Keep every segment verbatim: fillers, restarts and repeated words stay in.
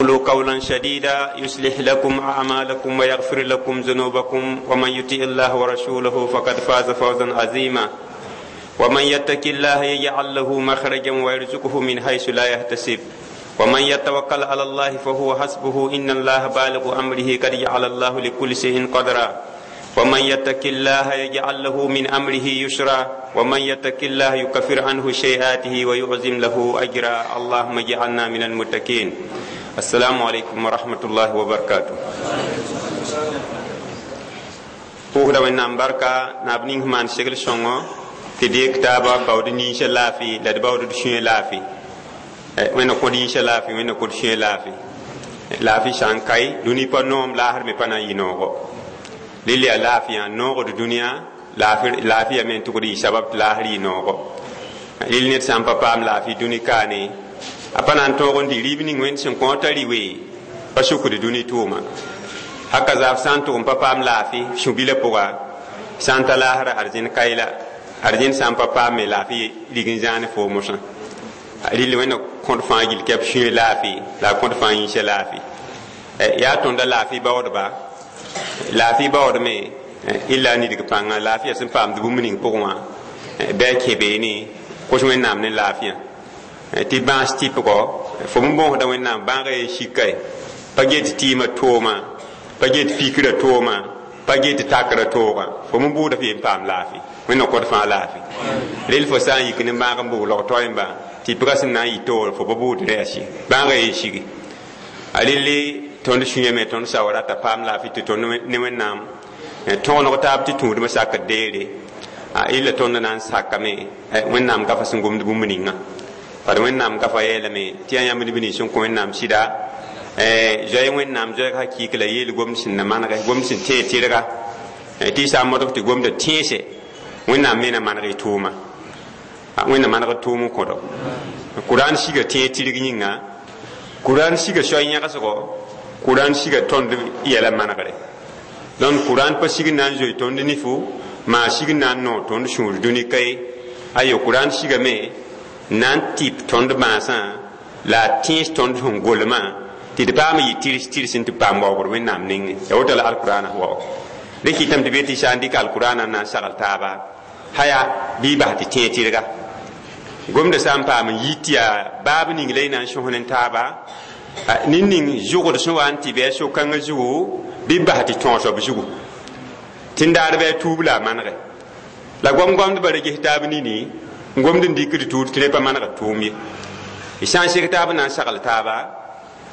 قولوا قولا شديدا يصلح لكم أعمالكم ويغفر لكم ذنوبكم ومن يطع الله ورسوله فقد فاز فوزا عظيما ومن يتق الله يجعل له مخرجا ويرزقه من حيث لا يحتسب ومن يتوكل على الله فهو حسبه إن الله بالغ أمره قد جعل الله لكل شيء قدرا ومن يتق الله يجعل له من أمره يسرا ومن يتق الله يكفر عنه سيئاته ويعظم له أجرا اللهم اجعلنا من المتقين السلام عليكم ورحمة الله وبركاته pʋʋsda wẽnnaam barka naab ning sẽn maan segl sõngo tɩ deeg taaba baood ninsã laafɩ la d baood d sũyã laafɩ wẽnna kõd yĩnsã laafɩ wẽnna kõd sũyã laafɩ laafɩ sã n kae dũni pa noom laasr me pa na n yɩ noogo rɩl yaa laafɩ yã noogd dũniyã laafɩ yame n tʋgd yɩ sabab tɩ laasr yɩ noogo rɩl ned sã n pa paam laafɩ dũni kaane a pa na n tõog n dɩ rɩɩb ning wẽnd sẽn kõ t'a rɩ wee pa sukd dũni tʋʋma haka zaaf sã n tʋg n pa paam laafɩ sũ-bilã pʋga sã n ta laasra arzẽn kaɩla arzẽn sã n pa paam me laafɩ rig n zãane foo mosã rɩl wẽnna kõd fãa gill kɛp sũyã laafɩ la a kõd fãa yĩnsã laafɩ yaa tõnda laafɩ baoodba laafɩ baoodme illa a nidg pãnga laafɩya sẽn paamd bũmb ning pʋgẽ wã bɩ a kẽ beene kos wẽnnaam ne laafɩyã tɩ bãas tɩpgɔ fo n bõosda wẽnnaam bãaga ye sika ye pa get tɩɩmã tooma pa get fikrã tooma pa get takrã toogã fo n buuda f yen paam laafɩ wẽnna kõd fãa laafɩ rel fo sã n yik ne bãag n bʋg log toɛmba tɩpgã sẽn na n yɩ toor fo pa buud rɛɛs ye bãagã ye sigi a relle tõnd sũyã me tõnd sao rata paam laafɩ tɩ tõnd ne wẽnnaam tõgeneg taab tɩ tũudmã sakd deere a illa tõnd na n sakame wẽnnaam gafa sẽn gomd bũmb ninga bad wẽnnaam gafa yeelame tɩ yaa yãmb neb nins sẽn kõ wẽnnaam sɩda zoe wẽnnaam zoɛɛg hakɩɩk la yeel gomd sẽn na manege gomd sẽn tẽeg tɩrga tɩ y sã n modg tɩ gomda tẽese wẽnnaam me na maneg y tʋʋma wẽnna manegd tʋʋm n kõdo kuraan siga tẽeg tɩrg yĩnga kuraan siga soay yãgsgo kuraan siga tõnd yɛla manegre donc kuraan pa sig n na n zoe tõnd nifu maa sig n na n noog tõnd sũur dũni ka ye ayo kuraan sigame na n tɩp tõnd bãasã la a tẽes tõnd sẽn golmã tɩ d paam yɩ tɩrs tɩrs n tɩ paam waoogr wẽnnaam nengẽ ya woto la alkurana waoog rẽ kɩtame tɩ be tɩ sã n dɩk alkurana n na n sagl taaba haya bɩ y bas tɩ tẽeg tɩrga gomda sã n paam n yi tɩ yaa baab ning la y na n sõs ne taaba ned ning zʋgd sẽn wa n tɩ bɩ a so-kãngã zugu bɩ bas tɩ tõog soab zugu tɩ n daar bɩ a tuub la a manege la gom-gomdbã ra ges taab nini n gomd n dɩkd tuud tɩ rẽ pa manegd tʋʋm ye y sã n seg taab n na n sagl taaba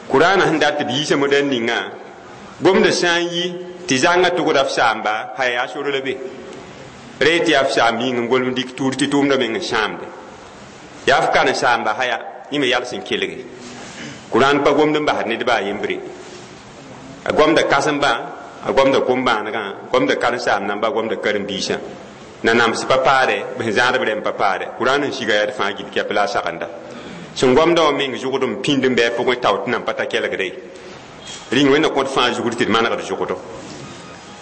kuraana sẽn dat tɩ b yiisa modɛl ninga gomda sã n yi tɩ zãngã tʋgda f saamba haya yaa sor la be re tɩ yaa f saamb yĩng n golem dɩk tuud tɩ tʋʋmdã meng n sãamde yaa f karen saamba haya yẽ me yals n kelge kuraan pa gomd n basd nedba a yembre a gomda kãsembã a gomda kom-bãanegã gomda karen-saam namba a gomda karen-biisã nanams pa paade b sẽn zãadb rẽm pa paade kuraan n siga yaa d fãa gil kɛp la a sagenda sẽn gomda wã meng zʋgd n pĩnd n bɩ a pʋgẽ tao tɩ nan pa ta kelgde ye rĩng wẽnna kõt fãa zugr tɩ d manegd zʋgdo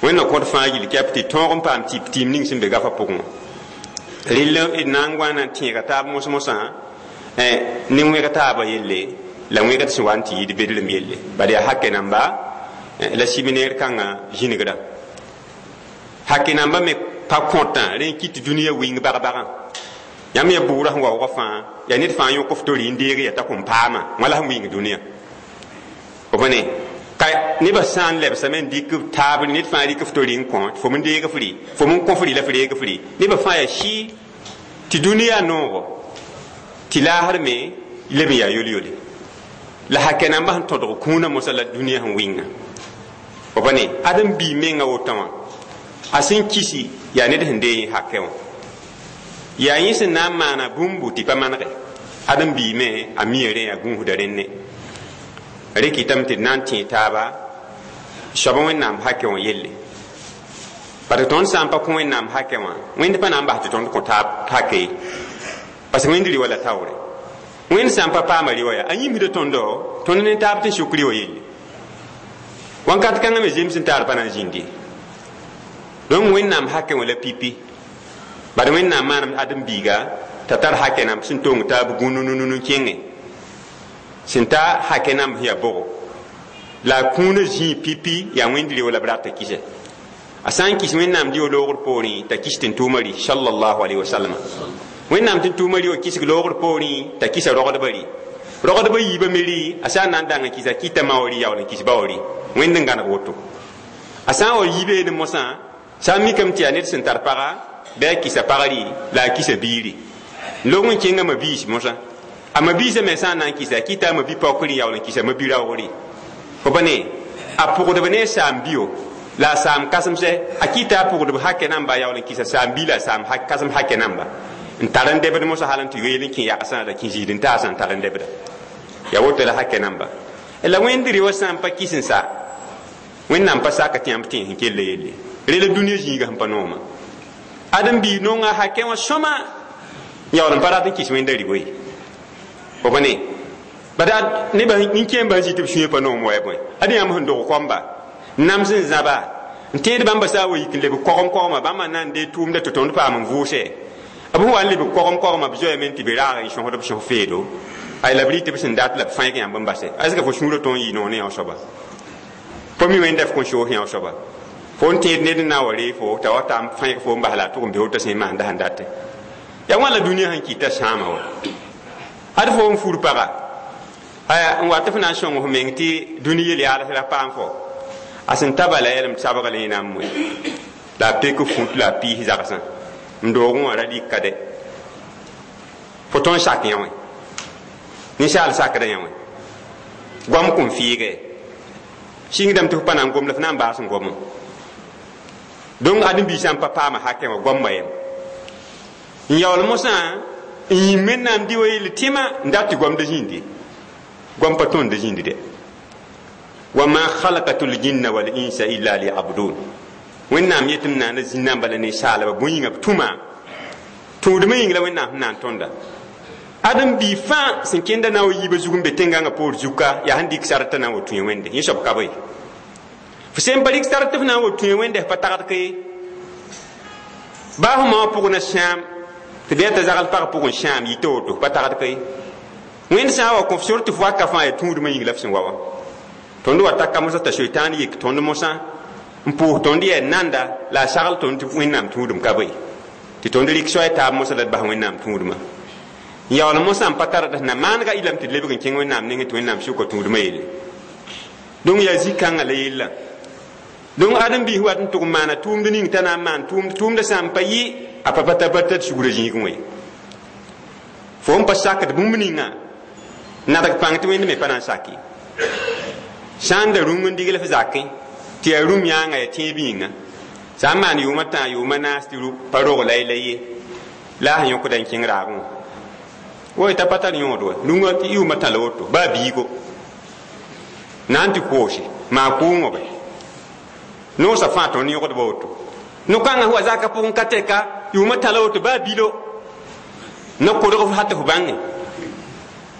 wẽnna kõt fãa gil kɛp tɩ tõog n paam tɩp tɩɩm ning sẽn be gafã pʋgẽ wã rɩl d na n wa na n tẽega taab mos-mosã ne wẽg taabã yelle la wẽgd sẽn wa n tɩ yɩɩd bedrem yelle bala yaa hakɛ namba la simineer kãngã zĩnigrã hake namba me pa kõtã rẽ n kɩt tɩ dũniyã wɩng bag-bagã yãmb ya bugrã sẽn waoogã fãa yaa ned fãa yõk f tori n deeg ya t'a kõn paama wã la sẽn wɩng dũniyã f ne ka nebã sã n lebsame n dɩk taab ned fãa rɩk f tori n kõ fo n deeg f rɩ fo n kõ f rɩ la f reeg f rɩ nebã fãa yaa sɩ tɩ dũniyã noogo tɩ laasr me leb n yaa yol-yole la hakɛ nambã sẽn tõdg kũunã mosã la dũniyã sẽn wɩnga f ne ãdem bii mengã wotã wã a sẽn kisi yaa ned sẽn dee hakɛ wã yaa yẽ sẽn na n maana bũmbu tɩ pa manege ãdem bii me a mia rẽ yaa gũusda rẽnne rẽ kɩtame tɩ d na n tẽeg taaba soab wẽnnaam hakɛ wã yelle parce que tõnd sã n pa kõ wẽnnaam hakɛ wã wẽnd pa na n bas tɩ tõnd kõ taab hake ye parce que wẽnd rɩ la taoore wẽnd sã n pa paama rɩ wã yaa a yĩmsda tõndo tõnd ne taab tɩ suk rɩ wã yelle wãnkat kãngã me zems n taar pa na n zĩndi donc wẽnnaam hakɛ wã la pipi bad wẽnnaam maanam ãdem-biiga t'a tar hakɛ namb sẽn tong taab gũnununu n kẽngẽ sẽn ta hakɛ namb sẽn yaa bʋgo La a kũunã zĩig pipi yaa wẽnd reo la b rat t'a kisa a sã n kis wẽnnaam dio loogr poorẽ t'a kis tẽn-tʋʋmã rɩ sallallahu alaihi wasallam wẽnnaam tẽn-tʋʋmã rɩ wã kisg loogr poorẽ t'a kisa rogdbã rɩ rogdbã yiibã me rɩ a sã n na n dang n kisa kɩta ma wã rɩ yaool n kis ba wã rɩ wẽnd n gãneg woto a sã n wa yibeene mosã sã n mikame tɩ yaa ned sẽn tar paga bɩ a kisa pag rɩ la a kisa biiri long n kẽnga ma-biis mosã a ma-biisã me sã n na n kisa a kɩta a ma-bi-paook rɩ yaool n kisa ma-bi-raoog rɩ fo pa ne a pʋgdb ne a saam-bio la a saam kãsemsɛ a kɩta a pʋgdb hakɛ namba a yaool n kisa saam-bi la a saam kãsem hakɛ namba n tar n debd mosã hal n tɩ yoeel n kẽ yagsã la kẽ zĩid n taasã n tar n debda ya woto la hakɛ namba la wẽnd reoã sã n pa kis n sa wẽnnaam pa saka tɩ yãmb tẽes n kell yelle rela dũniyã zĩiga sẽn pa nooma ãdem-biig nonga hakɛ wã sõma yaool n pa rat n kis wẽnda rɩ woe fo pa ne bada nebã nin-kẽembã sẽn zĩ tɩ b sũyã pa noom wa ya bõe ad yãmb sẽn dog koamba nams n zãba n tẽed bãmba sã n wa yik n leb kogem kogma bãmba na n dee tʋʋmda tɩ tõnd paam n vʋʋse b sẽn wa n leb kogem kogma b zoeeme tɩ b raag n sõsd b sõs feedo ay la b rɩ tɩ b sẽn dat la b fãeg yãmb n base est ce que fo sũurã tõe n yɩ noog ne yão soaba fo mi wẽnda f kõn soos yão soaba fo n tẽed ned n na n wa ree fo t'a wa ta n fãeg fo n bas la a tʋg n beood t'a sẽn maanda sẽn date ya wãn la dũniyã sẽn kɩta sãama wa ad fo n fur paga aya n wat f na n sõng f meng tɩ dũni yel-yaals ra paam fo a sẽn ta bala yɛlem sabg la yẽna n moe la a pek fut la a piis zagsã n doogẽ wã ra rɩka dɛ fo tõe n sak yã wẽ ninsaal sakda yã wẽ goam kõn fɩɩge sɩngdame tɩ f pa na n gom la f na n baas n gomẽ donc ãdem-biisã n pa paama hakɛ wã goamba yem n yaool mosã n yĩm wẽnnaam dɩ wa yell tɩma n dat tɩ goamda zĩindi goam pa tõnd zĩindi dɛ wama khalaqatu ljinna wal insa illa liyabudun wẽnnaam yetɩ m naana zĩnnãmba la ninsaalba bõe yĩnga b tʋma tũudmã yĩng la wẽnnaam sẽn na n tõnda ãdem-bii fãa sẽn kẽnda na n wa yiibã zug n be tẽngãngã poor zuka yaa sẽn dɩk sartã na n wa tũ wẽnde yẽ soab ka bõe f sẽn pa rɩk sar tɩ f na n wa tũ wẽnde f pa tagd ka ye baa fo ma wã pʋg na sãam tɩ bɩ t'a zagl pag pʋgẽ sãam yita woto pa tagd ka ye wẽnd sã n wa kõ f sor tɩ f waka fãa yaa tũudmã yĩng la f sẽn wa wã tõnd wa taka mosã t'a soitaan yik tõnd mosã n pʋʋs tõnd yaa nanda la a sagl tõnd tɩ wẽnnaam tũudum ka bõe tɩ tõnd rɩk soay taab mosã la d bas wẽnnaam tũudmã n yaool mosã n pa tara d na maanega ilame tɩ d lebg n kẽng wẽnnaam nengẽ tɩ wẽnnaam sʋka tũudmã yelle donc yaa zĩ-kãngã la yella donc ãdem-biis wat n tʋg n maana tʋʋmd ning t'a na n maan tʋʋmd tʋʋmdã sã n pa yɩ a pa pa ta pa tar sugrã zĩigẽ wã ye fo n pa sakd bũmb ninga nadg pãng tɩ wẽnd me pa na n sak ye sã n da rũng n digl f zakẽ tɩ yaa rũm yãanga yaa tẽeb yĩnga sã n maan yʋʋmã tã yʋʋmã naas tɩ pa rog la la ye la a sẽn yõkda n kẽng raagẽ wã woy t'a pa tar yõod wa rũngã tɩ yʋʋmã tã la woto baa biigo na n tɩ koose maa kʋʋngõ bɛ noosã fãa tõnd yõgdba woto no-kãngã wa zakã pʋgẽ ka tɛka yʋʋmã tã la woto baa bilo no-kodg f hat f bãnge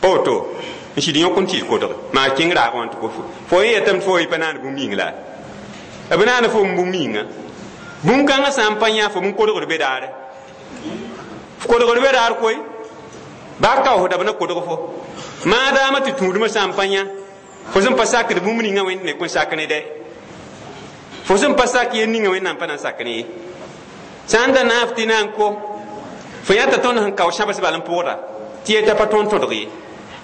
pa woto n sɩd yõk n tɩ kodge maa kẽng raagẽ wã tɩ ko fo yẽ yetame tɩ fo pa naan bũmb yĩng la b naana fo n bũmb yĩnga bũmb-kãngã sã n pa yã fo n kodgd be daare f kodgd be daar koe baa kaoosda b na kodg fo maadaamã tɩ tũudmã sã n pa yã fo sẽn pa sakd bũmb ninga wẽnd me kõn sak ne dɛ fo sẽn pa sak yel ninga wẽnnaam pa na n sak ne ye sã n da naaf tɩ na n ko fo yãta tõnd sẽn kao sãbs bal n pʋgda tɩ yeta pa tõnd tõdg ye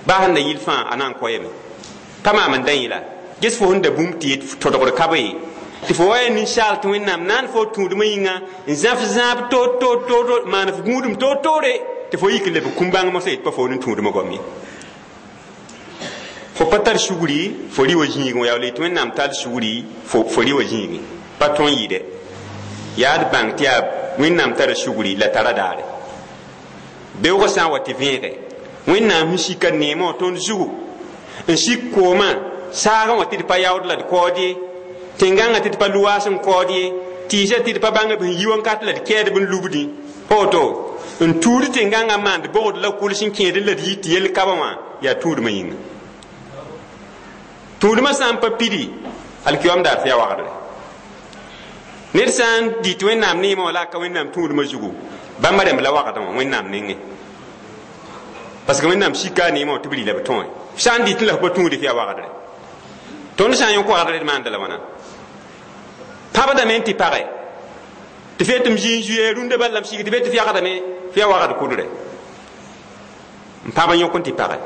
baa sẽn da yɩl fãa a na n koɛɛme pa maam n da yẽ la ges fo sẽn da bũmb tɩ tõdgd ka be ye tɩ fo wa yaa ninsaal tɩ wẽnnaam naan fo tũudmã yĩnga n zãf zãab toor toor toor maan f gũudum toor toore tɩ fo yik n leb kũm-bãng mosã yet pa fo ne tũudmã goam ye fo pa tar sugri fo rɩ wa zĩigẽ wa yaool tɩ wẽnnaam tar sugri fo rɩ wa zĩigẽ pa tõe n yɩɩdɛ yaa d bãng tɩ yaa wẽnnaam tara sugri la tara daare beoogã sã n wa tɩ vẽege wẽnnaam sẽn sika neemã wã tõnd zugu n sik koomã saagã wã tɩ d pa yaood la d kaood ye tẽngãngã tɩ d pa luwaas n kaood ye tɩɩsã tɩ d pa bãng b sẽn yi wãnkat la d kɛɛdb n lubdĩ pa woto n tuud tẽngãngã maand bogd la kʋls n kẽed la d yi tɩ yell kabã wã yaa tũudmã yĩnga tũudmã sã n pa pidi alkiyom daar tɩ yaa wagdre ned sã n dɩ tɩ wẽnnaam neemã wã la a ka wẽnnaam tũudmã zugu bãmba rẽmb la wagdẽ wã wẽnnaam nengẽ parce que wẽnnaam sika a neemã wã tɩ b rɩ la b tõe sã n dɩ tɩ la f pa tũude tɩ yaa wagdre Tõnd sã n yõk wagdr d maanda la wãna pãbdame n tɩ page tɩ f tɩ m zĩ n zuye rũndã bal la m sig tɩ be tɩ f yagdame f yaa wagd kʋdre n pãb n yõk n tɩ page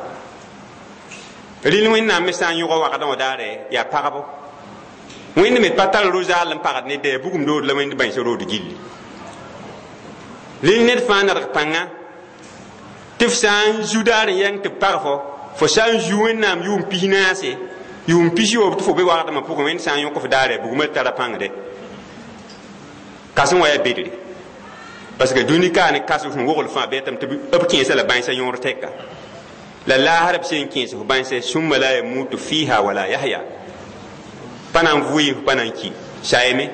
rɩl wẽnnaam me sã n yõga wagdã wã daare yaa pagbo wẽnd me pa tar ro-zaal n pagd ne dɛ bugum dood la wẽnd bãensa rood gilli rɩl ned fãa nadg pãnga tɩ f sã n zu daar n yãng tɩ b pag fo fo sã n zu wẽnnaam yʋʋm pis naase yʋʋm pis yoob tɩ fo be wagdmã pʋgẽ wẽnd sã n yõk f daare bugmã tara pãngde kãsem wa yaa bedre parce que dũni kaa ne kas sẽn wogl fãa bɩ tɩ b kẽesa la bãensa yõor tɛka la laasr b sẽn kẽes f bãense sũmma la yamutu fiha wala yahya pa na n vʋɩ f pa na n ki sayame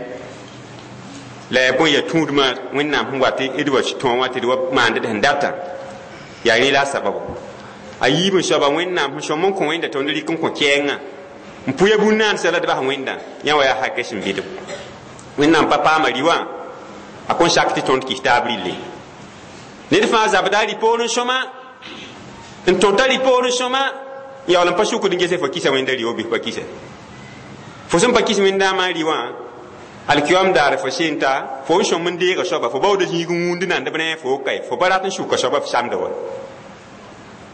la yaa bõe yaa tũudmã wẽnnaam sẽn wat d wa tõog wã tɩ d wa maand d sẽn data yaa rẽ la a sababo a yiib n soaba wẽnnaam sẽn sõm n kõ wẽnda tõnd rɩk n kõ kɛɛngã n pʋya bũn-naandsã la d bas wẽnda yã wa yaa hakɛ sẽn bɩdb wẽnnaam pa paama rɩ-wã a kõn sak tɩ tõnd kis taab rɩlle ned fãa zabda a rɩ-poor n sõma n tõta rɩ-poor n sõma n yaool n pa sukd n gese fo kisa wẽnda rɩ-wã bɩ pa kisa fo sẽn pa kis wẽndaamã rɩ-wã alkiyom daar fo sẽn ta fo n sõm n deega soaba fo baooda zĩig n wũnd nandb ne fo kae fo pa rat n sʋka soaba f samda wa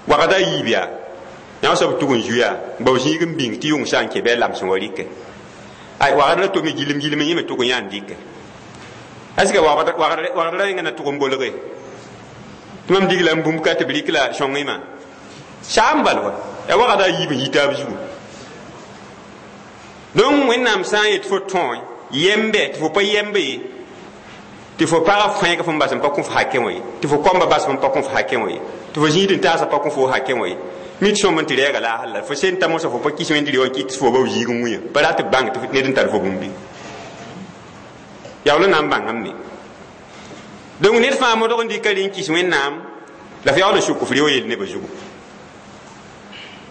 wagda a yiib yaa yã soab tug n zu yaa bao zĩig n bĩng tɩ yʋng sã n kẽ bɩ a lams n wa rɩkɛ ay wagd la tome gilem gilem yẽ me tʋg n yã n dɩkɛ est ce que wagd ra yẽnga na tʋg n bolge tɩ mam dig la n bũmb ka tɩ b rɩk la sõngẽ saam bal wa ya wagda a yiib n yi taab zugu donc wẽnnaam sã n yet fo tõe yembe tɩ fo pa yembe ye tɩ fo pagã fẽeg fõn bas n pa kõ f hakẽ wã ye tɩ fo koamba bas fõn pa kõ f hakẽ wã ye tɩ fo zĩig n taasã pa kõ fo hakẽ wã ye mi tɩ sõm n tɩ rɛɛga laasr la fo sẽn ta mosã fo pa kis wẽnd rɩ wã kɩt tɩ fo bao zĩig n wĩa pa rat b bãng tɩ ned n tar fo bũmbi yaool n na n bãngame donc ned fãa modg n dɩka rẽ n kis wẽnnaam la f yaool n sʋk f reo yel nebã zugu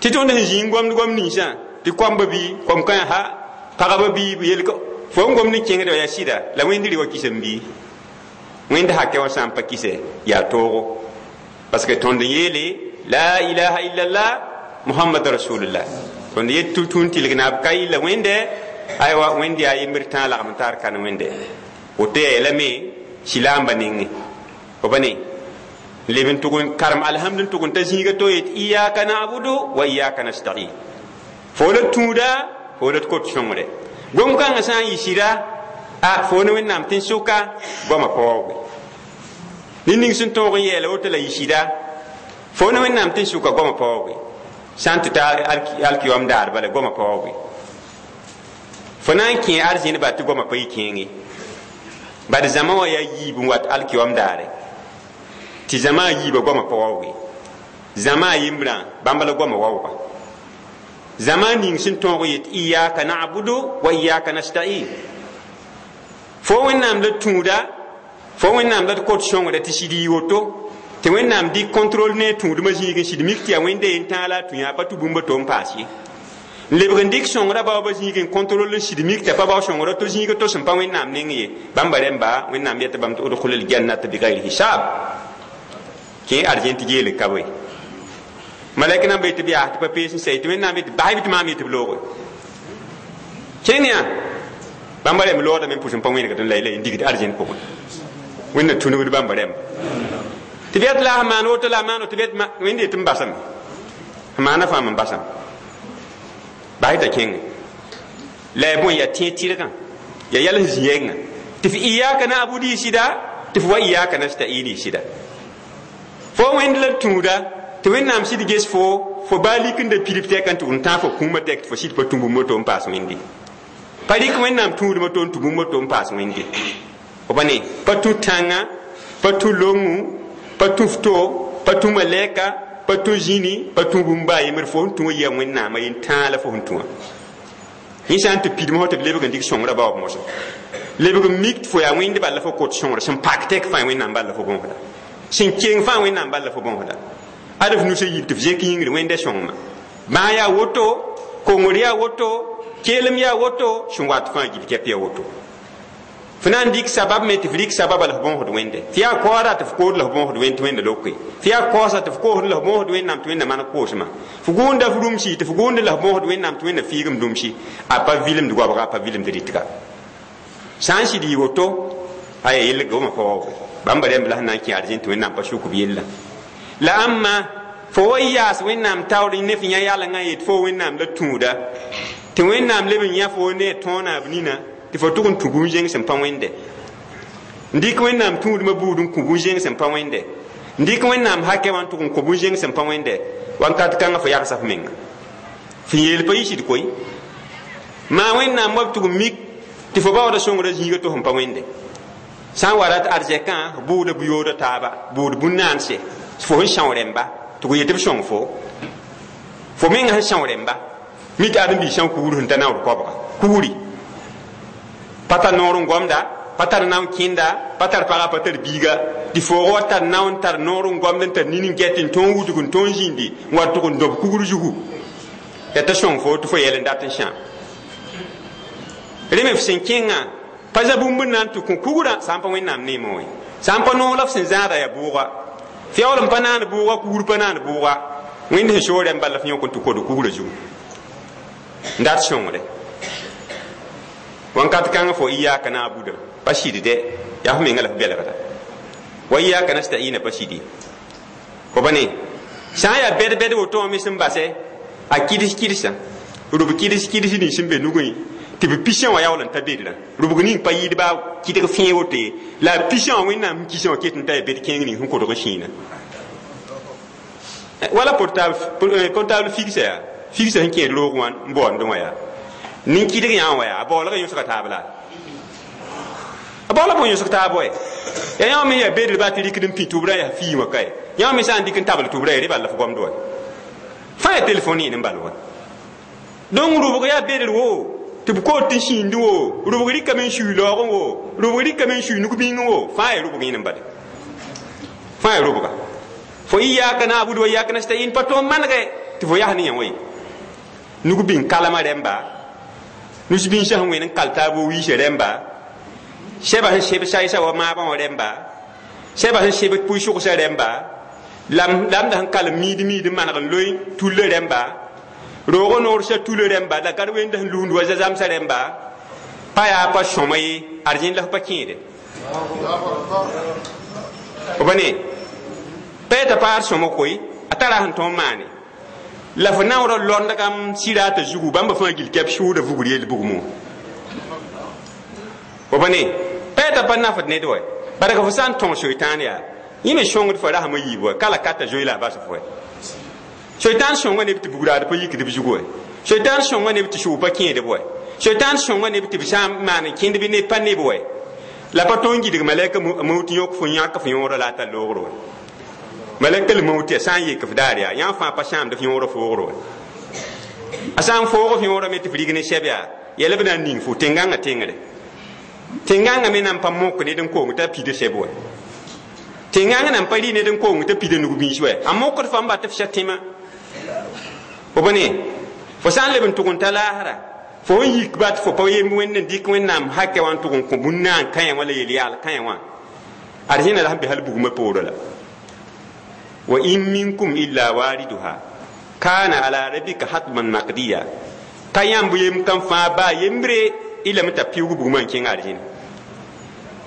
tɩ tõnd sẽn zĩig gomd gom ninsã tɩ koamba bɩ kom kã ha pagba bɩ yel fo n gomd n kẽngd yaa sɩda la wẽnd rɩ wã kisem bɩ wẽnd hakɛ wã sã n pa kise yaa toogo parce que tõnd n yeele la ilaha illallah muhammad rasulullah tõnd yet tũun tɩlg naab ka yilla wẽnde aywa wẽnd yaa yembr tãa lagm taar kan wẽnde woto yaa yɛla me silaamba nengẽ fo pa ne leb n tʋg n karem alhamd n tʋg n ta zĩiga to yet iyaka nabudu wa iyaka nastain fo la tũuda fo la kot sõngre gom-kãngã sã n yɩ sɩda a fo ne wẽnnaam tɩ n sʋka goamã pa waooge ned ning sẽn tõog n yɛɛla woto la yɩ sɩda fo ne wẽnnaam tɩ n sʋka goamã pa waooge sã n tɩ ta alkiyom daar bala goamã pa waooge fo na n kẽ arzẽn ba tɩ goamã pa yɩ kẽenge bad zãma wã yaa yiib n wat alkiyom daare tɩ zãma a yiibã goamã pa waooge zãma a yembrã bãmb la goamã waooga zãma ning sẽn tõog yet iyaka nabudu wa iyaka nastain fo wẽnnaam la tũuda fo wẽnnaam la d kot sõngda tɩ sɩd yɩ woto tɩ wẽnnaam dɩk contrôle ne tũudmã zĩig n sɩd mik tɩ yaa wẽnde yen tãag la a tũ yaa pa tũ bũmb to n paas ye n lebg n dɩk sõngrã baoobã zĩig n contrôle n sɩd mik t'a pa bao sõngrã to zĩiga to sẽn pa wẽnnaam neng ye bãmba rẽmba wẽnnaam yeta bãmb tɩ udkhul ljannata bigayri hisab kẽ arzẽn tɩ geel ka bõe malɛk nan be tɩ b yaa tɩ pa pees n sɛ tɩ wẽnnaam tɩ basb tɩ maam yetɩ b looge kẽng yaa bãmba rẽmb loogdame n pʋs n pa wẽnegd n la la n digd arzẽn pʋgẽ wẽnna tũnugd bãmba rẽmba tɩ b yat la a maan woto la a maan tɩ b yet wẽnd yetɩ n basame f maana fãa n basame bas t'a kẽnge la ya bõe yaa tẽeg tɩrgã yaa yɛl sẽn zĩ yɛngã tɩ f iyaka na'budu y sɩda tɩ f wa iyaka nasta'in y sɩda fo wẽnd la tũuda tɩ wẽnnaam sɩd ges fo fo baa lik n da pidb tɛk n tʋg n tãag fo kũumã tɛk tɩ fo sɩd pa tũ bũmb to n paas wẽnde pa rɩk wẽnnaam tũudmã to n tũ bũmb to n paas wẽnde fo pa ne pa tũ tãngã pa tũ longu pa tũ fto pa tũ malɛka pa tũ zĩni pa tũ bũmb baa yembr fo n tũ wã yaa wẽnnaamã yen tãag la fo sẽn tũ wã yẽ sã n tɩ pidmã fo tɩ b lebg n dɩk sõngrã baoob mosã lebg n mik tɩ fo yaa wẽnd bal la fo kot sõngra sẽn pak tɛk fãa wẽnnaam bal la fo bõosda sẽn keng fãa wẽnnaam bal la fo bõosda ad f nusã yib tɩ f zẽk yĩngr wẽnda sõngmã bãag yaa woto kongr yaa woto keelem yaa woto sẽn wat fãa gil kɛp yaa woto F na n dɩk sabab me tɩ f rɩk sababa la f bõosd wẽnde. Tɩ yaa kaooda tɩ f kood la f bõosd wẽnd tɩ wẽnda loke. Tɩ yaa kaoosa tɩ f koosd la f bõosd wẽnnaam tɩ wẽnda maneg koosmã. F gũunda f rũmsi tɩ f gũunda la f bõosd wẽnnaam tɩ wẽnda fiigem rũmsi. A pa vilemd goabga, a pa vilemd rɩtga. Sã n sɩd yɩ woto, aya yell goma pa waoog. Bãmba rẽmb la sẽn na n kẽ arzẽn tɩ wẽnnaam pa suk b yella. La ãmba fo wa yaas wẽnnaam taoor ne f yã yalengã yet fo wẽnnaam la tũuda. Tɩ wẽnnaam leb n yã fo ne a tõona b nina tɩ fo tʋg n tũ bũn-zẽng sẽn pa wẽnde. N dɩk wẽnnaam tũudmã buud n kõ bũn-zẽng sẽn pa wẽnde. N dɩk wẽnnaam hakɛ wã n tʋg n kõ bũn-zẽng sẽn pa wẽnde. Wakat kãngã fo yagsa f menga. F yeel pa yɩ sɩd koe. Maa wẽnnaam wa b tʋg n mik tɩ fo baooda sõngrã zĩiga tɩ sẽn pa wẽnde. Sã n wa rat arzɛkã f bʋʋda bu-yooda taaba, bʋʋd bũn-naanse, fo sẽn são rẽmba, tɩ g yetɩ b sõng fo. Fo menga sẽn são rẽmba, mi tɩ ãdem-biis sã n kugr sẽn ta naood koabga. Kugri. Pa tar noor n gomda, pa tar nao n kẽnda, pa tar paga, pa tar biiga. Tɩ foog wa tar nao n tar noor n gomd n tar nin n get n tõog wudg n tõog zĩndi n wa tʋg n dob kugr zugu. Yaa t'a sõng fo tɩ fo yɛl n dat n sãam. Rẽ me f sẽn kẽngã pa za bũmb n na n tɩ kõ kugrã sã n pa wẽnnaam neemẽ wã. Sã n pa noog la f sẽn zãada yaa bʋʋga. Fiaool n pa naan bʋʋga, kugr pa naan bʋʋga. Wẽnd sẽn soog rẽmb bala f yõk n tɩ kod kugrã zugu. N dat sõngre. Wakat kãngã fo iyaka na'budu pa sɩd dɛ, yaa f menga la f belgda. Wa iyaka nasta'ina pa sɩd ye. Fo ba ne sã n yaa bɛd-bɛd woto wã me sẽn basɛ, a kɩds kɩdsa, rʋb kɩds kɩds nins sẽn be nugẽ tɩ b pisã wã yaool n ta bedrã. Rʋbg ning pa yɩɩd baa kɩdg fẽe woto ye, la a pisã wã wẽnnaam sẽn kisã wã ket n ta yaa bed kẽeng ning sẽn kodg sĩinã. Wala portable, portable fixe yaa, fixe sẽn kẽed roog wã n baoondẽ wã yaa. Nin-kɩdg yã wã yaa, a baoolg yõsga taab la. A baoola bõe yõsg taab wɛ. Yaa yã me yaa bedr baa tɩ rɩkd n pĩ tʋbrã yaa fii wã kae. Yã me sã n dɩk n tabl tʋbrã yaa rẽ bal la f gomd wa. Fãa yaa telefon yẽ n bal wa. Donc rʋbg yaa bedr wo, tɩ b kood tɩ n sĩindi wo, rʋbg rɩkame n sui laoogẽ wo, rʋbg rɩkame n sui nug-bĩngẽ wo, fãa yaa rʋbg yẽ n bale. Fãa yaa rʋbga. Fo iyaka na'budu wa iyaka nasta'in pa tõog manegɛ tɩ fo yas ne yã wã ye. Nug-bĩng kalmã rẽmba, nus-bĩnsã sẽn wẽnd n kal taab wiisã rẽmba, sɛba sẽn seb saysã wa maabã wã rẽmba, sɛba sẽn seb pʋɩ-sʋgsã rẽmba, lamda sẽn kalem miid miid n maneg n loe tullã rẽmba, roog noorsã tullã rẽmba, la gad wẽnda sẽn lusd wa zazamsã rẽmba, pa yaa pa sõma ye, arzẽn la f pa kẽede. Fo ba ne pa yeta paad sõma koe, a tara sẽn tõog n maane. La f naoorã londgam sɩraata zugu, bãmba fãa gil kɛp sʋʋda vugr yell bugmẽ wã. Fo ba ne pa yeta pa nafd ned wɛ, barka fo sã n tõog soitaan yaa, yẽ me sõngd fo rasmã yiib wɛ, ka la ka t'a zoe la a bas fo wɛ. Soitaan sõnga neb tɩ bugraad pa yikd b zugu wɛ. Soitaan sõnga neb tɩ sʋʋg pa kẽedb wɛ. Soitaan sõnga neb tɩ b sã n maan n kẽnd bɩ neb pa neb wɛ. La pa tõog n gɩdg malɛka mawt yõk fo yãk f yõorã la a tar loogr wɛ. Malɛka l mawt yaa sã n yek f daar yaa, yã fãa pa sãamd f yõorã foogr wɛ. A sã n foog f yõorã me tɩ f rig ne sɛb yaa, yɛl b na n ning fo tẽn-gãngã tẽngre. Tẽn-gãngã me na n pa mok ned n kong t'a pida sɛb wɛ. Tẽn-gãngã na n pa rɩ ned n kong t'a pida nug-bĩis wɛ. A mokd fãmb ba tɩ f sɛ tẽmã. Fo ba ne, fo sã n leb n tʋg n ta laasra, fo n yik bat fo pa yemb wẽnd n dɩk wẽnnaam hakɛ wã n tʋg n kõ bũn-naan kãyã wã la yel-yaal kãyã wã. Arzẽna la sẽn be hal bugmã poorã la. Wa in minkum illa wariduha kana ala rabbika hatman maqdiya. Ka yãmb yem kam fãa baa yembre ila t'a piʋʋg bugmã n kẽng arzẽna.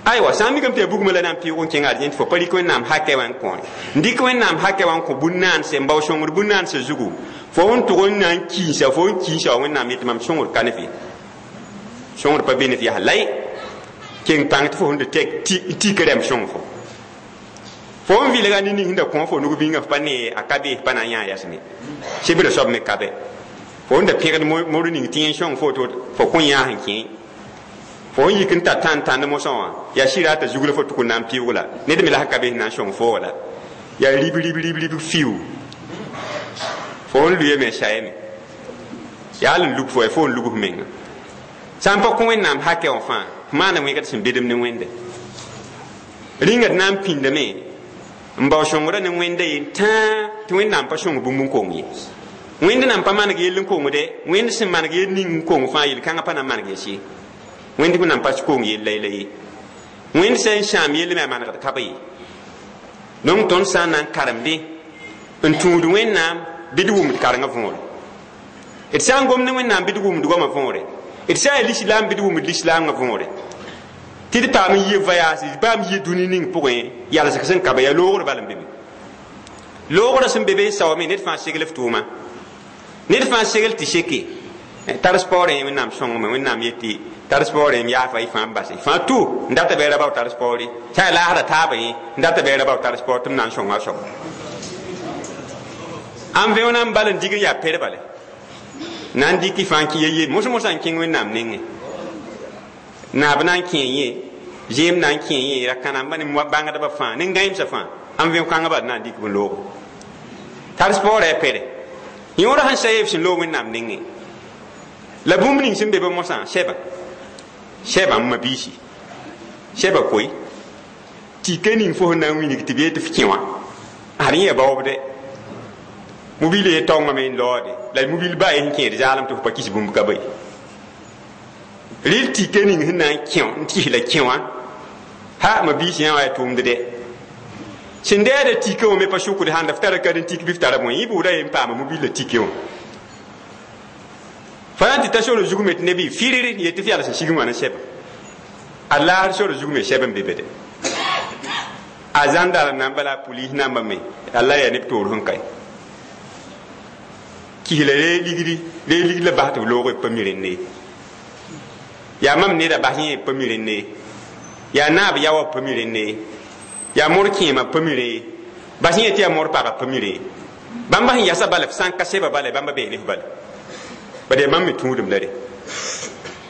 Aywa, sã n mikame tɩ yaa bugmã la na n piʋʋg n kẽng arzẽn tɩ fo pa rɩk wẽnnaam hakɛ wã n kõ n dɩk wẽnnaam hakɛ wã n kõ bũn-naanse n bao sõngr bũn-naanse zugu, fo n tʋg n na n kiinsa, fo n kiinsa wa wẽnnaam yetɩ mam sõngr ka ne f ye. Sõngr pa be ne f yaa lay, keng pãng tɩ fo sẽn da tik rɛm sõng fo. Fo n vɩlga ne ning sẽn da kõ fo nug-bĩngã f pa ne a ka be, f pa na n yã yasme. Sebrã soab me ka bɛ. Fo n da pẽgd mor ning tɩ yẽ sõng fo tɩ fo kõ yãas n kẽ. Fo n yik n tar tãn tãnd mosã wã, yaa sɩraata zug la fo tʋk n na n pɩʋʋg la. Ned me la sẽn ka be sẽn na n sõng fo wã la. Yaa rib rib rib rib fiu. Fo n luyame sayame. Yaa n lug fo fo n lug f menga. Sã n pa kõ wẽnnaam hakɛ wã fãa, f maana wẽgd sẽn bedem ne wẽnde. Rĩnga d na n pĩndame n bao sõngrã ne wẽnda yen tãa tɩ wẽnnaam pa sõng bũmb n kong ye. Wẽnd nan pa maneg yell n kongde, wẽnd sẽn maneg yell ning n kong fãa yel-kãngã pa na n maneg yɛs ye. Wẽnd nan pa kong yell la ye. Wẽnd sẽn sãam yell me a manegd ka be ye. Donc tõnd sã n na n karemdẽ n tũud Wẽnnaam bɩ d wʋmd karengã võore. D sã n gom ne Wẽnnaam bɩ d wʋmd goamã võore. D sã n yaa lislaam bɩ d wʋmd lislaamgã võore. Tɩ d paam n yɩ voyage, d paam yɩ dũni ning pʋgẽ yalsg sẽn ka be yaa loogr bal n be be. Loogrã sẽn be be n saoome ned fãa segl f tʋʋma. Ned fãa segl tɩ seke. Tar sport rẽ Wẽnnaam sõngame, Wẽnnaam yetɩ tar sport rẽ yaafa y fãa n base. Fãa tu n data bɩ ra bao tar sport ye. Sã n laasda taabã yẽ n data bɩ ra bao tar sport tɩ m na n sõnga a soaba. Ãn vẽona n bal n dig n yaa per bale. Na n dɩk y fãa n kẽ ye mos mosã n kẽng Wẽnnaam nengẽ. Naab na n kẽ yẽ, zẽem na n kẽ yẽ, ra kãnamba ne bãngdbã fãa, ne gãeemsã fãa, ãn vẽo-kãngã bal na n dɩk b loogo. Tar sport a pere. Yõora sẽn sa yeb sẽn loog Wẽnnaam nengẽ. La bũmb ning sẽn be be mosã, sɛba. Sɛba n ma biisi. Sɛba koe. Tɩ ning fo sẽn na n wilg tɩ b yet tɩ f kẽ wã. Ad yẽ ya baoobde. Mobil ye taongame n laoode. La mobil ba ye sẽn kẽed zaalem tɩ f pa kis bũmb ka be. Rɩl tɩka ning sẽn na n kẽ n kis la kẽ wã, ha ma biisi yã wa yaa tʋʋmd dɛ. Sẽn dɛɛda tɩka wã me pa sʋkd sãnda f tara ka n tik bɩ f tara bõe, yẽ bʋʋda ye n paama mobil la tike wã. Fa na n tɩ ta sor zug me tɩ neb y firir yet tɩ f yals n sig n wã ne sɛba. A laasr sor zug me sɛb n be be de. A zãndar namba la a pulis namba me, Allah yaa neb toor sẽn kae. Kis la ree ligdi, ree ligd la bas tɩ b loog b pa mi rẽnd ye. Yaa mam neda bas yẽ b pa mi rẽnd ye. Yaa naab yaoã b pa mi rẽnd ye. Yaa mor kẽemã b pa mi rẽ ye. Bas yẽ tɩ yaa mor pagã b pa mi rẽ ye. Bãmba sẽn yasa bala f sã n ka sɛba bala bãmba bee ne f bala. Bala yaa bãmb me tũudem la re.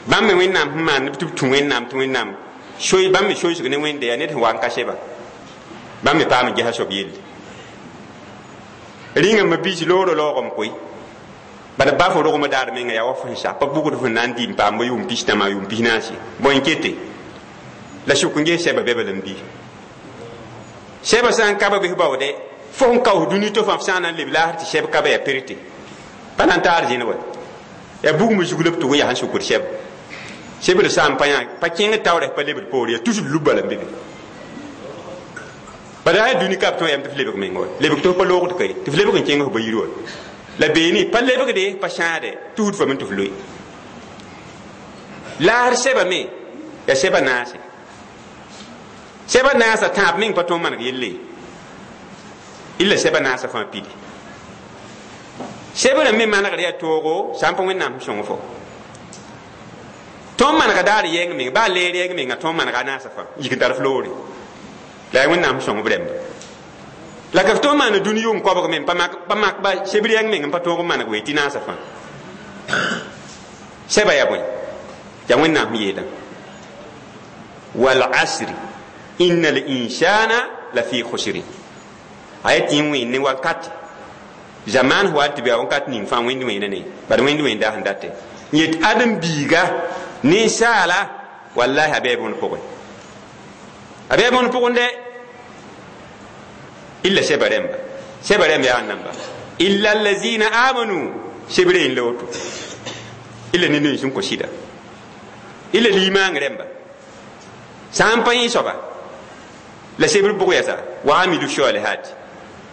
Bãmb me Wẽnnaam sẽn maan tɩ b tũ Wẽnnaam tɩ Wẽnnaam soy bãmb me soysg ne Wẽnde yaa ned sẽn wa n ka sɛba. Bãmb me paam n gesa soab yelle. Rĩnga ma biisi loorã laoogame koe. Bala ba fo rogmã daar menga yaa wa fo sẽn sa pa bugd fo na n dɩ n paam bɩ yʋʋm pis-tãmã yʋʋm pis-naase. Bõe n kete? La sʋk n ges sɛba bɛ bala n bii. Sɛba sã n ka ba bɩ baoodɛ, fo sẽn kaoos dũni to fãa f sã n na n leb laasr tɩ sɛb ka ba yaa perte. Pa na n taar zĩnd wa. Yaa bugmã zug la b tʋg n yaa sẽn sʋkd sɛba. Sebr sã n pa yã pa kẽng taoorã pa lebd poore yaa tusd lub bala n be be. Bala yaa dũni ka b tõe yam tɩ f lebg meng wa. Lebg tɩ f pa loogd ka ye, tɩ f lebg n kẽng f ba yir wa. La beene pa lebgde pa sãade tusd fame tɩ f loe. Laasr sɛba me yaa sɛba naase. Sɛba naasã tãab meng pa tõe n maneg yelle ye. Illa sɛba naasã fãa pidi. Sɛbrã me manegd yaa toogo sã n pa Wẽnnaam sẽn sõng fo. Tõnd manega daar yɛng meng, baa leer yɛng menga tõnd manega a naasã fãa, yik n tar f loore. La yaa Wẽnnaam sẽn sõng b rẽmba. La ka f tõnd maana dũni yʋʋm koabg me pa mak pa mak ba sebr yɛng meng n pa tõog n maneg wee tɩ naasã fãa. Sɛba yaa bõe? Yaa Wẽnnaam sẽn yeelã. Wal asri inna al insana la fi khusri. A yaa tɩ n wẽnd ne wakat. Zaman wa tɩ bɩ wakat ning fãa wẽnd wẽena ne, bad wẽnd wẽnda sẽn date. Yet ãdem-biiga ninsaala wallahi a bɩ bõn pʋgẽ. A bɩ bõn pʋgẽ dɛ. Illa sɛba rẽmba. Sɛba rẽmba yaa namba. Illa allazina amanu sebre n la woto. Illa ne nens n kõ sɩda. Illa limaang rẽmba. Sã n pa yẽ soaba la sebr bʋg yasa wa amilu salihati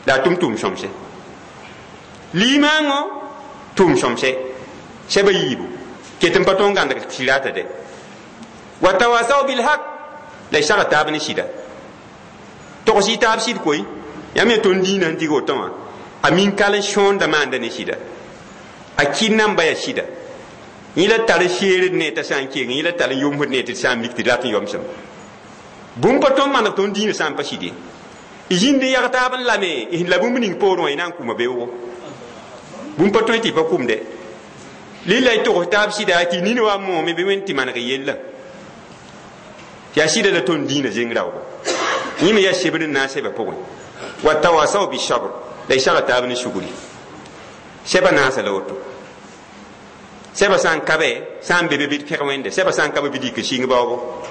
la a tʋm tʋʋm sõmse. Limaangõ tʋʋm sõmse sɛba yiibu ket n pa tõe n gãndg sirata dɛ. Wa tawasaw bilhaq la y sag taab ne sɩda. Togs y taab sɩd koe. Yãmb yaa tõnd dĩinã n dig woto wã a min kal n sõonda maanda ne sɩda. A kɩ namba yaa sɩda. Yẽ la tar seered ne t'a sã n keng, yẽ la tar n yomsd ne tɩ d sã n mik tɩ d rat n yomsem. Bũmb pa tõnd maneg tõnd dĩinã sã n pa sɩd ye. Y zĩnd n yag taab n lame, y la bũmb ning poorẽ wã y na n kʋma beoogo. Bũmb pa tõe tɩ y pa kʋmde. Lilla y togs taab sɩda tɩ nin wa moome bɩ Wẽnd tɩ maneg yella. Tɩ yaa sɩda la tõnd dĩinã zeng raoogo. Yẽ me yaa sebr n na n sɛba pʋgẽ. Wa tawasaw bisabr la y saga taab ne sugri. Sɛba naasa la woto. Sɛba sã n ka bɛ, sã n be be bɩ d pẽg Wẽnde, sɛba sã n ka be bɩ dɩk n sɩng baoogo.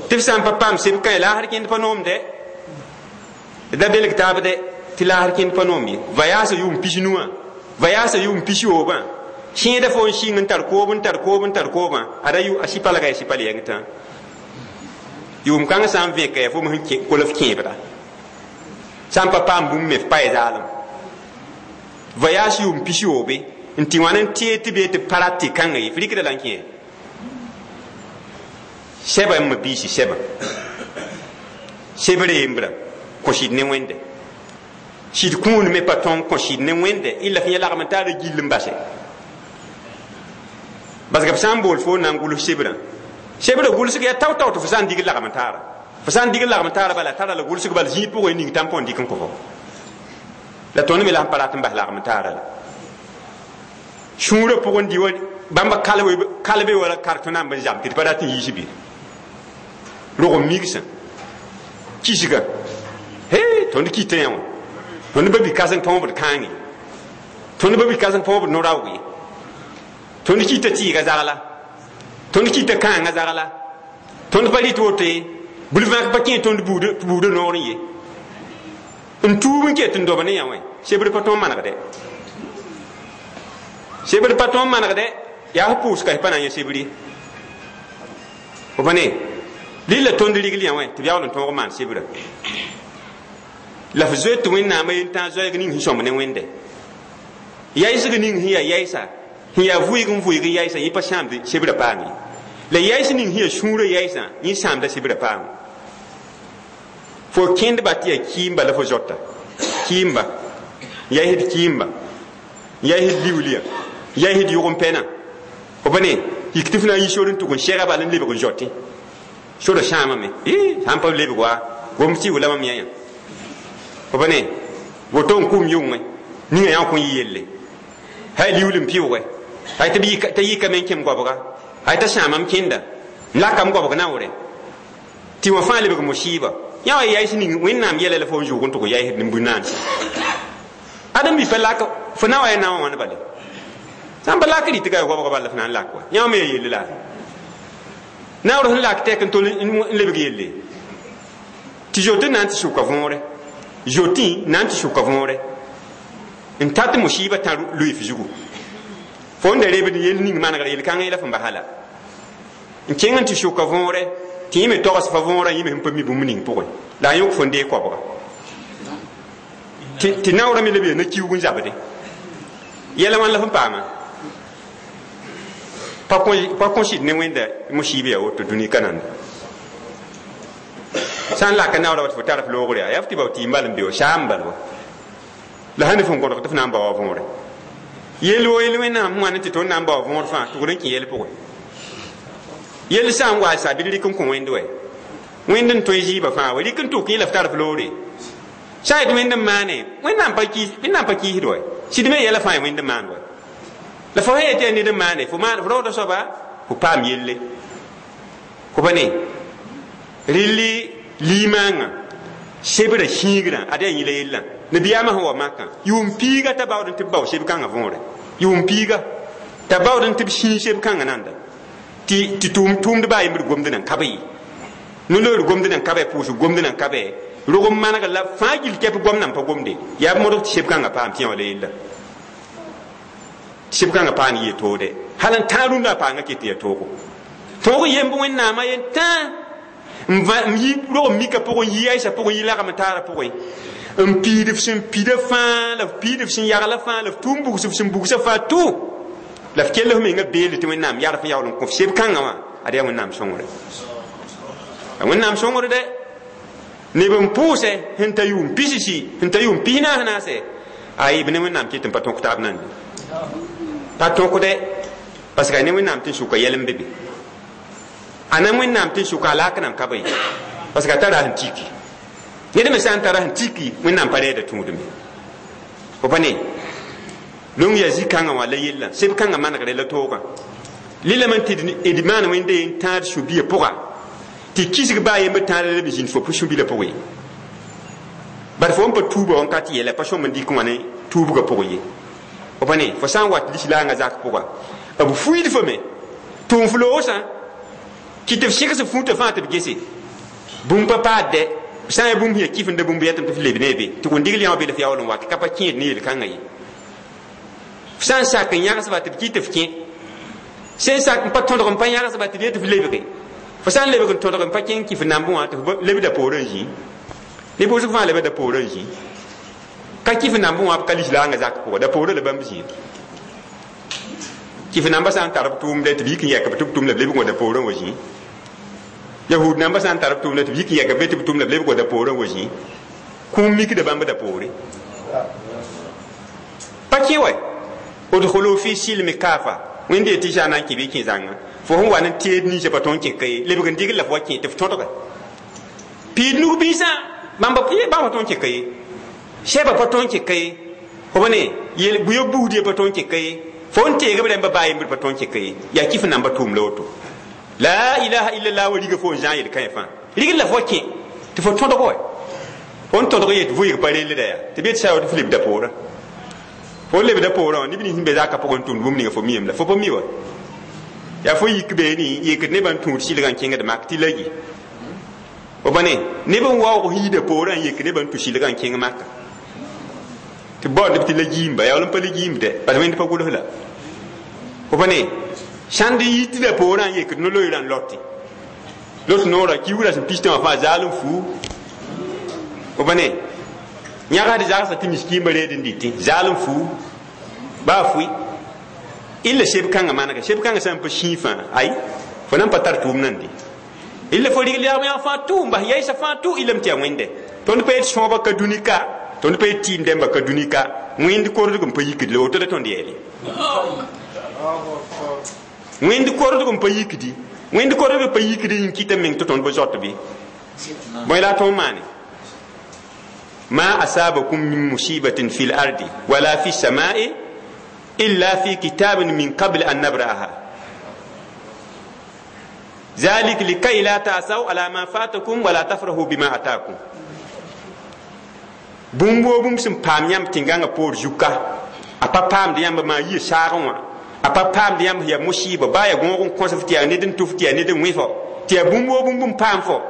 Tɩ f sã n pa paam seb kãe laasr kẽnd pa noomde, d da belg taab dɛ tɩ laasr kẽnd pa noom ye. Vayaasa yʋʋm pis-nu wã, vayaasa yʋʋm pis-yoobã, sẽeda fo n sɩng n tar koob n tar koob n tar koobã, ada a sɩ palga yaa sɩ pal yɛng tã. Yʋʋm kãng sã n vẽka yaa fo sẽn kol f kẽebda sã n pa paam bũmb me f pa ya zaalem voyage yʋʋm pis yoobe n tɩ wãn n tee tɩ bee tɩ pa rat tɩ kãnga ye f rɩkda la n kẽ sɛba n ma biisi sɛba sebre yembrã kõ sɩd ne wẽnde sɩd kũun me pa tõn kõ sɩd ne wẽnde illa f yẽ lagm n taara gill n base parce que b sã n bool fo na n gʋls sebrã sebrã gʋlsg yaa tao-tao tɩ fo sã n dig lagm taara fo sã n dig lagm taara bala tara la gʋlsg bala zĩig pʋgẽ ning tãn põn dɩk n kõ fo la tõnd me la sẽn pa rat n bas lagm taara la sũurã pʋgẽ dɩ wa bãmba kalbe wala kartõ namb n zam tɩ d pa rat n yiis bɩ rog n migsã kisga he tõnd kɩtã yã wã tõnd ba bi kãseng põobd kãange tõnd ba bi kãseng põobd no-raoog ye tõnd kɩta tɩɩga zagla tõnd kɩta kãangã zagla tõnd pa rɩt woto ye bul-vãk pa kẽ tõnd buudã noor n ye n tuub n ket n dob ne yã wã sebr pa tõog manegde sebr pa tõog manegde yaa f pʋʋs ka pa na n yã sebr ye fo pa ne lilla tõnd rigl yã wã tɩ b yaool n tõog n maan sebrã la f zoe tɩ wẽnnaamã yen-tãag zoɛɛg ning sẽn sõmb ne wẽnde yaɩsg ning sẽn yaa yaɩsa sẽn yaa vʋɩg n vʋɩg n yaɩsa yẽ pa sãamd sebrã paam ye la yaɩs ning sẽn yaa sũurã yaɩsã yẽ sãamda sebrã paam fo kẽndba tɩ yaa kɩɩmba la fo zoata kɩɩmba yaɩsd kɩɩmba yaɩsd liuulya yaɩsd yʋgem-pɛnã fo pa ne yik tɩ f na n yi sor n tʋg n sɛga bal n lebg n zoatẽ sora sãamame sã n pa lebg wa gom tɩ wʋla mam yã yã fo pa ne woto n kʋm yʋngẽ ninga yã kõ yɩ yelle hay liuul n pɩʋʋgɛ hay t'a yikame n kẽm goabga hay t'a sãamam kẽnda n lakam goabg naoore tɩ wã fãa lebg musɩɩba yã wa yaɩs ning wẽnnaam yɛla la fo n zʋʋg n tʋg yaɩsd nin-bũ-naanse ãdem-bi pa lak fo na wa ya naowã wãn bale sã n pa lak rɩtga ya goabga bala f na n lak wa yã wã me ya yelle la naoor sẽn lak tɛk n tol n lebg yelle tɩ zote na n tɩ sʋka võore zotẽ na n tɩ sʋka võore n tat musɩɩba tã lʋɩ f zugu fo n da rebd yell ning manegr yel-kãngã la fẽn basã la n kẽng n tɩ sʋka võore tɩ yẽ me togs fa võorã yẽ me sẽn pa mi bũmb ning pʋgẽ la a yõk fo n dee koabga tɩ naoorã me leb yaa na-kiuug n zabde yɛla wãn la fẽn paama pa kõ sɩd ne wẽnda musɩɩb yaa woto dũni ka nanda sã n laka naoorã wa tɩ fo tar f loogre yaa yaa f tɩ bao tɩ y mbal n be wa saam n bal wa la sã ne fõn kõdg tɩ f na n bao wa võore yell wo yell wẽnnaam sẽn wãn tɩ tõnd na n bao võor fãa tʋgd n kẽ yɛl pʋgẽ yell sã n wa sa bɩ d rɩk n kõ wẽnd wɛ wẽnd n tõe zɩɩbã fãa wa rɩk n tʋk yẽ la f tar f loore sã n yet wẽnd n maane wẽnnaam pa kiisd wɛ sɩd me yɛla fãa ya wẽnd n maan wɛ la fo sã yetɩ yaa ned n maane fo raooda soaba fo paam yelle fo pa ne rɩlli liimaangã sebrã sĩigrã ad yaa yĩla yellã nabiyaamã sẽn wa makã yʋʋm piiga t'a baood n tɩ b bao seb kãngã võore yʋʋm piiga t'a baood n tɩ b sĩig seb kãngã nanda tɩ tʋʋmd baa yembd gomd nan ka b ye no-loor gomd nan ka bɛ pʋʋsg gomd nan ka bɛ rog n maneg la fãa gill kɛp gom nan pa gomde yaa b modg tɩ seb kãngã paam tɩ yã wala yella seb kãngã paan yɩ toode hal n tãag rũndã a paanga ket tɩ yaa toogo tõog yemb wẽnnaamã yen tãa n yi rog n mika pʋgẽ yi yaɩsã pʋgẽ yi lagm taarã pʋgẽ n piid f sẽn pida fãa la f piid f sẽn yagla fãa la f tʋʋm bugs f sẽn bugsa fãa tʋ la f kell f menga beelde tɩ wẽnnaam yar f yaool n kõ f seb kãngã wã ad yaa wẽnnaam sõngre a wẽnnaam sõngr dɛ neb n pʋʋsɛ sẽn ta yʋʋm pisisi sẽn ta yʋʋm pis naas naasɛ ayi b ne wẽnnaam ket n pa tõk taab nande pa tõkdɛ parce que a ne wẽnnaam tɩ n sʋka yɛl n be be a na wẽnnaam tɩ n sʋka a laak nan ka be parce que a tara sẽn tiki ned me sã n tara sẽn tiki wẽnnaam pa rɛɛda tũudme fo pa ne long yaa zĩ-kãngã wã la yellã seb kãngã manegre la toogã lilame tɩ d maan wẽnde n tãad sũ-biã pʋga tɩ kisg baa yembr tãada la b zĩnd fo sũ-bilã pʋgẽ ye bad fo n pa tuuba wãnkat yɛla pa sõm n dɩk wã ne tuubgã pʋgẽ ye fo pa ne fo sã n wat lislaangã zak pʋga b fuiid fo me tʋʋm f loosã kɩ tɩ f sɩgs f fũutã fãa tɩ b gese bũmb pa paad dɛ sã n yaa bũmb sẽn yaa kɩfenda bũmb yɛtame tɩ f leb ne be tɩ wẽn digl yã wã be la f yaool n wat ka pa kẽed ne yel-kãngã ye f sã n sak n yãgsba tɩ b kɩ tɩ f kẽ sẽn sak n pa tõdg n pa yãgsba tɩ b yet tɩ f lebge Fo sã n lebg n tõdg n pa kẽng kɩf nambẽ wã tɩ f lebda poorẽ n zĩ ne bʋsg fãa leba da poorẽ n zĩ ka kɩf nambẽ wã b ka lislaangã zak pʋgã da poorẽ la bãmb zĩ kɩf nambã sã n tar b tʋʋmdɛ tɩ b yik n yɛk b tɩ b tʋm la b lebg wã da poorẽ wa zĩ yahud nambã sã n tar b tʋʋmdɛ tɩ b yik n yɛk b tɩ b tʋm la b lebg wã da poorẽ wa zĩ kũum mikda bãmb da poore pa kẽ wa udkhulu fi silmi kafa wẽnde yetɩ sã na n kẽ bɩ kẽ zãnga fo sẽn wa ne teed ninsã pa tõnd kẽ ka ye lebg n digl la fo wa kẽ tɩ f tõdga piid nug biisã bãmb bãmb pa tõnd kẽ ka ye sɛba pa tõnd kẽ ka ye fo ba ne yel buyo buusd ye pa tõnd kẽ ka ye fo n teeg b rẽmba baa yembd pa tõnd kẽ ka ye yaa kɩf namba tʋʋm la woto la ilaha illallah wa riga fo n zã yel-kãe fãa rigl la fo wa kẽ tɩ fo tõdg wa fo n tõdg yet vʋɩg pa rellda yaa tɩ b yet sa tɩ f lebda poorã fo lebda poorã wã neb nins sẽn be zakã pʋgẽ n tʋmd bũmb ninga fo miyame la fo pa mi wa yaa fo yik beene yekd nebã n tũud sɩlgã n kẽngd mak tɩ la yi fo pa ne neb n waoog hiida poorã n yek nebã n tũ sɩlgã n kẽng maka tɩ baood neb tɩ la giimba yaa wall n pa le giimde bas wẽnd pa gʋls la fo pa ne sãnd n yitda poorã n yekd no-loeerã n lote lot noorã kiugrã sẽn pistã wã fãa zaal n fuu fo pa ne yãgsd zagsã tɩ miskiimba reed n dɩtẽ zaal n fuu baa fʋɩ illa seb kãngã manega seb kãngã sã n pa sĩig fãa ay fo na n pa tar tʋʋm nande illa fo rigl yagm yãg fãa tʋ n bas yaɩsa fãa tʋ illame tɩ yaa wẽnde tõnd pa yet sõoba ka dũni ka tõnd pa yet tɩɩm dẽmba ka dũni ka wẽnd kordg n pa yikd la woto la tõnd yeele wẽnd kordg n pa yikdi wẽnd kordg pa yikdi n kɩta meng tɩ tõnd pa zoat bɩ bõe la a tõog maane ما أصابكم من مصيبة في الأرض ولا في السماء إلا في كتاب من قبل أن نبرأها ذلك لكي لا تأسوا على ما فاتكم ولا تفرحوا بما أتاكم bũmb woo bũmb sẽn paam yãmb tẽn-gãngã poor zuka a pa paamd yãmb maa yɩ saagẽ wã a pa paamd yãmb yaa musɩɩba baa yaa gõog n kõsf tɩ yaa ned n tʋf tɩ yaa ned n wẽ fo tɩ yaa bũmb woo bũmb n paam fo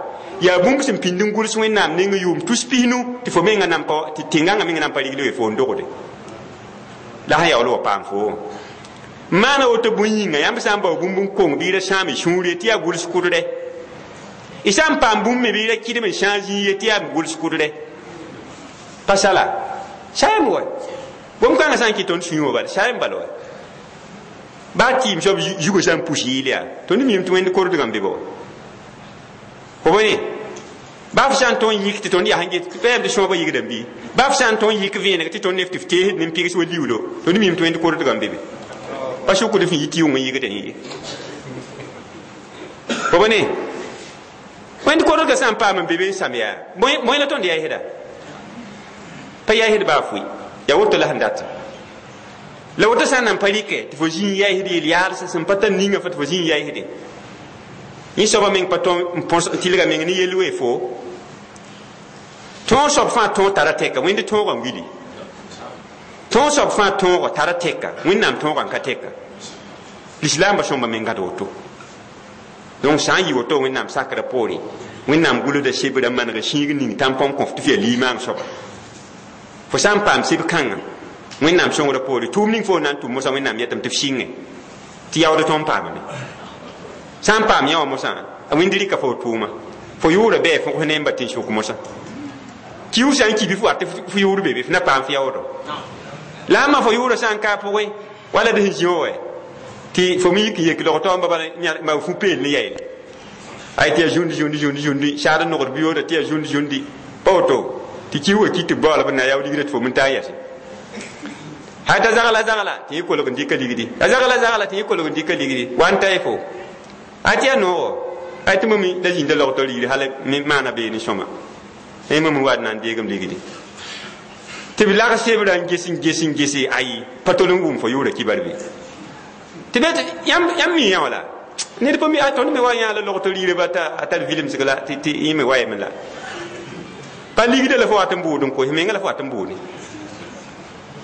yaa bũmb sẽn pĩnd n gʋls wẽnnaam neng yʋʋm tus pisnu tɩ fo menga nan pa tɩ tẽn-gãngã menga nan pa rigl we fo n dogde la sẽn yaool wa paam fo maana woto bũn yĩnga yãmb sã n bao bũmb n kong bɩ y ra sãam y sũur ye tɩ yaa gʋls kʋdrɛ y sã n paam bũmb me bɩ y ra kɩdem n sãag zĩig ye tɩ yaa gʋls kʋdrɛ pa sala saayam wa bũmb kãngã sã n kɩ tõnd sũyẽ wã bala saayam bala wa baa tɩɩm soab zugã sã n pus yɩɩl yaa tõnd miime tɩ wẽnd kordgã n be ba wa fo bõe baa f sã n tõnd yik tɩ tõnd yaa sẽn get pɛɛm tɩ sõoba yigdame bɩ baa f sã n tõnd yik vẽeneg tɩ tõnd nef tɩ f teesd ne n pɩgs wa liuulo tõnd miime tɩ wẽnd kordgã n be be pa sʋkd f yɩ tɩ yʋng n yɩgdẽ ye fo bõe ne wẽnd kordgã sã n paam n be be n sãm yaa bõe la tõnd yaɩsda pa yaɩsd baa fʋɩ yaa woto la sẽn dat la woto sã n nan pa rɩkɛ tɩ fo zĩ n yaɩsd yel yaalsã sẽn pa tar ninga fa tɩ fo zĩ n yaɩsde yẽ soaba meng pa tõe n põs tɩlga meng ne yell wee fo tõog soab fãa tõog tara tɛka wẽnd tõogã n wili tõog soab fãa tõogo tara tɛka wẽnnaam tõogã n ka tɛka lislaambã sõmba mengã d woto donc sã n yɩ woto wẽnnaam sakrã poore wẽnnaam gʋlsda sebrã maneg sĩig ning tãn-põm kõf tɩ f yaa limaang soaba fo sã n paam seb kãngã wẽnnaam sõngrã poore tʋʋm ning fo na n tʋm mosã wẽnnaam yetame tɩ f sɩngẽ tɩ yaood tõnd paamame sã n paam yã wã mosã a wẽnd rɩka fo tʋʋma fo yʋʋra bɩ fõgs ne n ba tẽn-sʋk mosã kiu sã n ki bɩ fo wat tɩ f yʋʋr be be f na paam f yaoodo la a ma fo yʋʋra sã n ka pʋgẽ wala d sẽn zĩ wã wa tɩ fo me yik n yek log taoamba bala ma fu peel ne yaeele ay tɩ yaa zũndi zũndi zũndi zũndi saad n nogd biyooda tɩ yaa zũndi zũndi pa woto tɩ kiu wa ki tɩ baool b na yaood ligrã tɩ fo min taa yɛse hay t'a zagla zagla tɩ yẽ kolg n dɩka ligdi a zagla zagla tɩ yẽ kolg n dɩka ligdi wa n ta y fo a tɩ yaa noogo ay tɩ mame la zĩnda logtɔ ligdi hal maana beene sõma yẽ mame wa d na n deegem ligdi tɩ b lag sebrã n ges n ges n gese ayi pa tol n wʋm fo yʋʋra kibar be tɩ be yãmb mi yã wala ned pa mi tõnd me wa yã la logtɔ ligrã ba a tar vilemsg la tɩ yẽ me wa yame la pa ligda la fo wat n bʋʋd n koes menga la fo wat n bʋʋde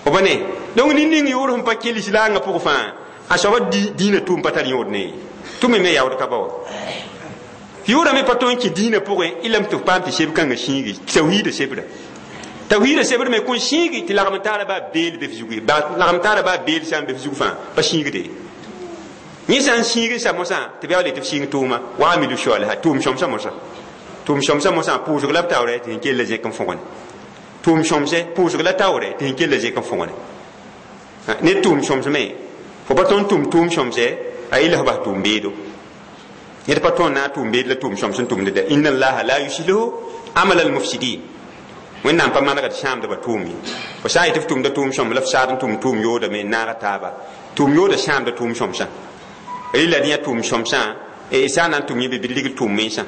fo pa ne donc nin ning yʋʋr sẽn pa kell lislaangã pʋg fãa a soaba dĩinã tʋʋm pa tar yõod ne tʋ me me yaood ka ba wa yʋʋra me pa tõe n kẽ dĩinã pʋgẽ ilame tɩ f paam tɩ seb kãngã sĩigi tawhiida sebra tawhiida sebr me kõn sĩigi tɩ lagm taara baa beel be f zugu ye lagm taara baa beel sã n be f zug fãa pa sĩigde Yẽ sã n sĩig n sa mosã tɩ b yaool tɩ b sĩng tʋʋma wa amilu saliha tʋʋm sõmsã mosã tʋʋm sõmsã mosã pʋʋsg la b taoore tɩ sẽn kell zẽk n fõgene tʋʋm sõmse pʋʋsg la taoore tɩ sẽn kell zẽk n fõgene ned tʋʋm sõmsme fo pa tõnd tʋm tʋʋm sõmse a ila fo bas tʋʋm beedo ned pa tõnd na n tʋʋm beed la tʋʋm sõms n tʋmd dɛ inna allaha la yuslihu amal al mufsidin wẽnnaam pa manegd sãamdbã tʋʋm ye fo sã n yetɩ f tʋmda tʋʋm sõm la f saad n tʋm tʋʋm yoodame n naaga taaba tʋʋm yooda sãamda tʋʋm sõmsã rɩla dẽ yaa tʋʋm sõmsã sã n na n tʋm yẽ bɩ rigl tʋʋm mensã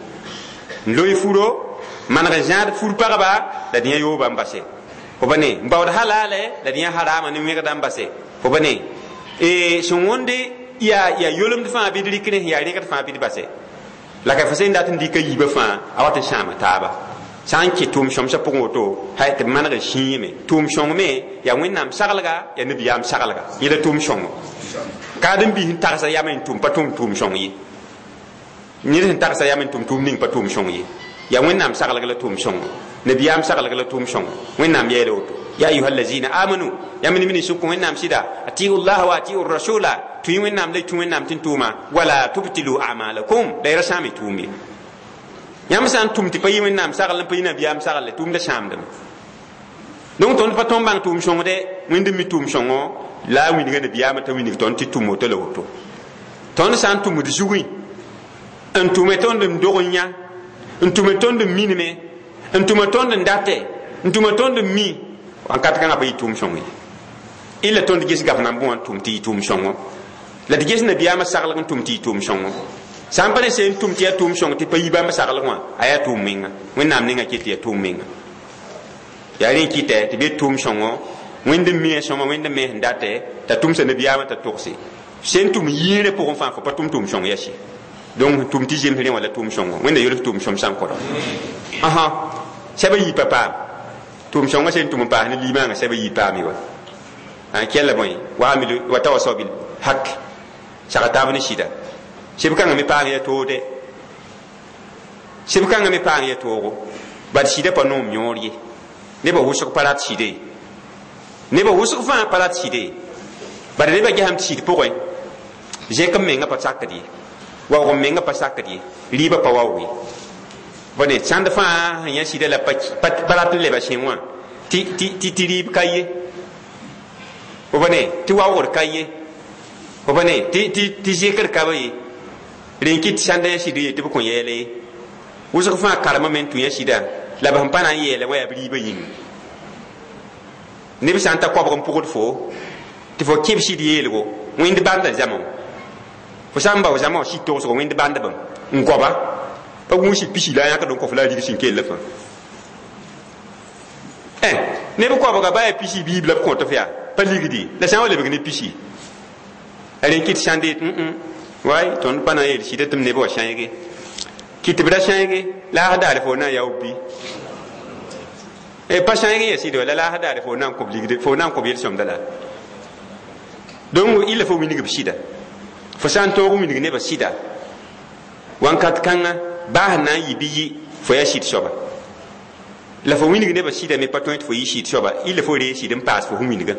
n loe furo maneg n zãad fur pagba la dẽ yaa yooba n base fo pa ne n baood halaale la dẽ yaa harama ne wẽgda n base fo pa ne sẽn wõnde yaa yaa yolemd fãa bɩ d rɩk rẽ yaa rẽgd fãa bɩ d base la ka fo sẽn dat n dɩka yiibã fãa a wat n sãama taaba sã n kɩ tʋʋm sõmsã pʋgẽ woto hay tɩ b maneg n sĩime tʋʋm sõng me yaa wẽnnaam saglga yaa nabiyaam saglga yẽ la tʋʋm sõngo kaadem-biis n tagsa yam n tʋm pa tʋm tʋʋm sõng ye ned sẽn tagsa yam n tʋm tʋʋm ning pa tʋʋm sõng ye yaa wẽnnaam saglg la tʋʋm sõngo nabiyaam saglg la tʋʋm sõngo wẽnnaam yeela woto ya ayuha allazina amanu yãmb ne min sẽn kõ wẽnnaam sɩda atiu llaha wa atiu rasula tũ-y wẽnnaam la y tũ wẽnnaam tɩ n tʋʋma wala tubtilu amalakum la y ra sãam y tʋʋm ye yãmb sã n tʋm tɩ pa yɩ wẽnnaam sagl n pa yɩ nabiyaam sagl tʋʋmda sãamdame donc tõnd pa tõnd bãng tʋʋm sõngde wẽnd n mi tʋʋm sõngo la a wilga nabiyaamã t'a wilg tõnd tɩ tʋm woto la woto tõnd sã n tʋmd zugẽ n tʋme tõnd n dog n yã n tʋme tõnd n minime n tʋme tõnd n date n tʋme tõnd n mi wãnkat kãngã pa yɩ tʋʋm sõng ye illa tõnd ges gaf nan bõ wã n tʋm tɩ yɩ tʋʋm sõngo la d ges nabiyaamã saglg n tʋm tɩ yɩ tʋʋm sõngo sã n pa ne seen tʋm tɩ yaa tʋʋm sõng tɩ pa yi bãmb saglg wã a yaa tʋʋm menga wẽnnaam ninga kɩ tɩ yaa tʋʋm menga yaa rẽ kɩtɛ tɩ be tʋʋm sõngo wẽnd n mi a sõma wẽnd n me sẽn date t'a tʋmsa nabiyaamã t'a togse sẽn tʋm yĩirẽ pʋgẽ fãa fo pa tʋm tʋʋm sõng yaa sɩ donc tʋm tɩ zems rẽ wã la tʋʋm sõngo wẽnda yols tʋʋm sõm sã n kõda ãsã sɛba yii pa paam tʋʋm sõngã sẽn tʋm n paas ne limaangã sɛba yii paame wa kɛlla bõe wa tawasaw bil hak saga taab ne sɩda seb kãngã me paang ya toode seb kãngã me paang ya toogo bad sɩda pa noom yõor ye nebã wʋsg pa rat sɩde ye nebã wʋsg fãa pa rat sɩde ye bad nebã gesame tɩ sɩd pʋgẽ zẽk n menga pa sakd ye waoog n menga pa sakd ye rɩɩbã pa waoog ye bõe sãnd fãa sẽn yã sɩda la pa rat n leba sẽn wã tɩ rɩɩb ka ye bõe tɩ waoogr ka ye bõe tɩ zẽkr ka ba ye rẽn kɩt sãnda yã sɩd ye tɩ b kõ yɛɛle ye wʋsg fãa karema me n tũ yã sɩda la b sẽn pa na n yeele wã yaa b rɩɩbã yĩnga neb sã n ta koabg n pʋgd fo tɩ fo kẽb sɩd yeelgo wẽnd bãnda zãma fo sã n bao zãma wã sɩd togsgo wẽnd bãndbame n goaba pa gũus sɩd pisi la a yãkd n kõf la a rig sẽn kell fãa neb koabga ba yaa pisi biib la b kõt f yaa pa ligdi la sã n wa lebg ne pisi a rẽn kɩt sãnde yet way tõnd pa na n yeel sɩda tɩ m neb wa sãeege kɩ tɩ b ra sãeege laas daare fo na n yao bi pa sãeeg n ya sɩd wa la laas daare fo na n kõb ligde fo na n kõb yel-sõmda la donc illa fo wilg b sɩda fo sã n tõog wilg nebã sɩda wãnkat kãngã baa sẽn na n yɩ bɩ yɩ fo yaa sɩd soaba la fo wilg nebã sɩda me pa tõe tɩ fo yɩ sɩd soaba illa fo ree sɩd n paas fo sẽn wilgã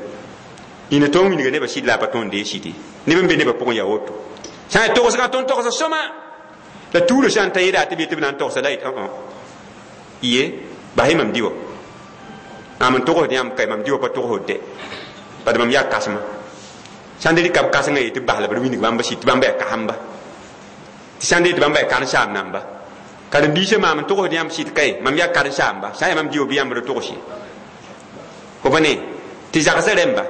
ina tõog wilga nebã sɩd la a pa tõnd dee sɩd ye neb n be nebã pʋgẽ yaa woto sã n togsgã tõnd togsa sõma la tuurã sã n ta yeda tɩ b yetɩ b na n togsa la yet ye bas-y mam dɩ wã mam n togsd yãmb ka mam dɩ wã pa togsd dɛ bad mam yaa kãsema sãn de rɩka b kãsengã yetɩ b bas la b wilg bãmba sɩd tɩ bãmba yaa kasamba tɩ sãn de tɩ bãmba yaa karen-saam namba karen-biisã maam n togsd yãmb sɩd kae mam yaa karen-saamba sã n yaa mam dɩ wã bɩ yãmb ra togs ye fo pa ne tɩ zagsã rẽmba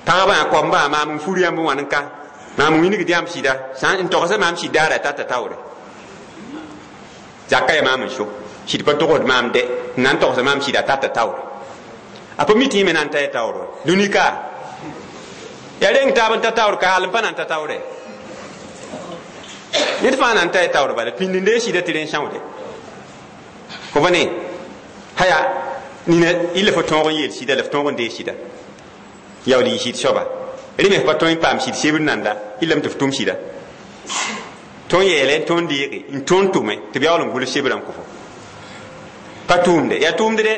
pagba koambã maam n fur yãmb n wãn n ka maam n wilgd yãmb sɩda sã n togsa maam sɩd daara tata taoore zaka yaa maam n so sɩd pa togsd maam dɛ n na n togsa maam sɩda tata taoore a pa mi tɩ yẽ me na n ta ya taoor wa dũni ka yaa reng taab n ta taoor ka hal n pa na n ta taoore ned fãa na n ta ya taoor bala pĩnd n dee sɩda tɩ rẽ sãoode fo pa ne haya nina illa fo tõog n yeel sɩda la f tõog n dee sɩda yaool yɩ sɩd soaba rẽ me f pa tõe n paam sɩd sebr nanda illame tɩ f tʋm sɩda tõnd yeele n tõnd deege n tõnd tʋme tɩ b yaool n gʋls sebrã n kõ fo pa tʋʋmde yaa tʋʋmd dɛ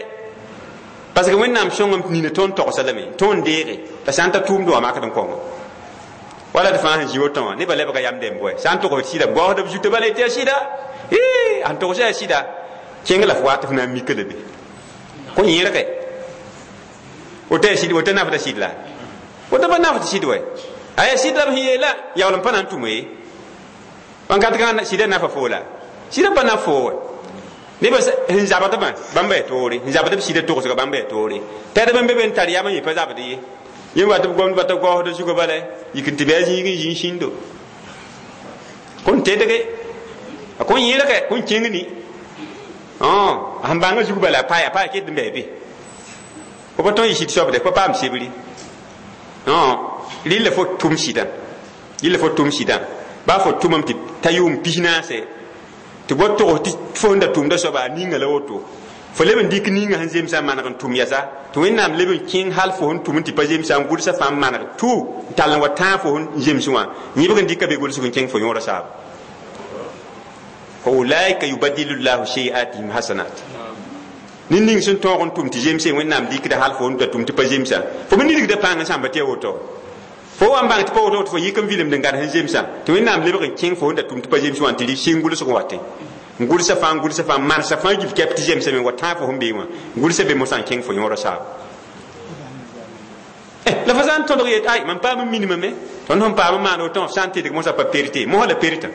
parce que wẽnnaam sõngame tɩ nina tõnd togsa lame tõnd deege la sã n ta tʋʋmd wã makd n kõngo Wala d fãa sẽn zĩ woto wã nebã lebga yam dẽmb wɛ sã n tog sɩda goasd b zutã bala tɩ ya sɩda sẽn togs yaa sɩda kẽng la f wa tɩ f na n mika la be kõ yẽrge woto yaa sɩd woto nafda sɩd la woto pa nafd sɩd wɛ a yaa sɩd la b sẽn yeela yaool n pa na n tʋme ye wãnkat kãngã sɩda nafa foo la sɩda pa naf foo wɛ nebã sẽn zabdbã bãmba yaa toore sẽn zabd b sɩda togsga bãmba yaa toore tɛdb n be be n tar yam n yẽ pa zabd ye yẽ wat b gomdba t'a gaoosd zugã bala yik n tɩ bɩ a zĩig n zĩ sĩndo kõn tedge a kõn yẽlge kõn kẽng ni a sẽn bãngã zug bala a pa a pa ket n bɩ be fo pa tõe n yɩ sɩd soabde pa paam sebri rɩla fo tʋm sɩdã rɩla fo tʋm sɩdã baa fo tʋmame tɩ ta yʋʋm pis naase tɩ bo togs tɩ fo sẽn da tʋmda soaba a ninga la woto fo leb n dɩk ninga sẽn zemsã n maneg n tʋm yɛsa tɩ Wẽnnaam leb n kẽng hal fo sẽn tʋm n tɩ pa zemsã n gʋlsa fãa n maneg tʋ n tall n wa tãag fo sẽn zems wã yẽbg n dɩka be gʋlsg n kẽng fo yõora saaba fa ulaika yubadilu llahu sayiatihim hasanat ned ning sẽn tõog n tʋm tɩ zemse Wẽnnaam dɩkda hal fo sẽn da tʋm tɩ pa zemsã fo me nidgda pãng n sãmba tɩ ya woto fo wa n bãng tɩ pa woto tɩ fo yik n vilemd n gãd sẽn zemsã tɩ Wẽnnaam lebg n kẽng fo sẽn da tʋm tɩ pa zems wã n tɩ rɩ sɩng gʋlsg n watẽ gʋlsa fãa gʋlsa fãa mansa fãa gil kɛp tɩ zemsame wa tãag fo sẽn bee wã gʋlsa be mosã n kẽng fo yõora saaba la fo sã n tõdg yet ay mam paam n minimame tõnd sẽn paam n maan woto f sã n tɩdg mosã pa perte mosã la pertã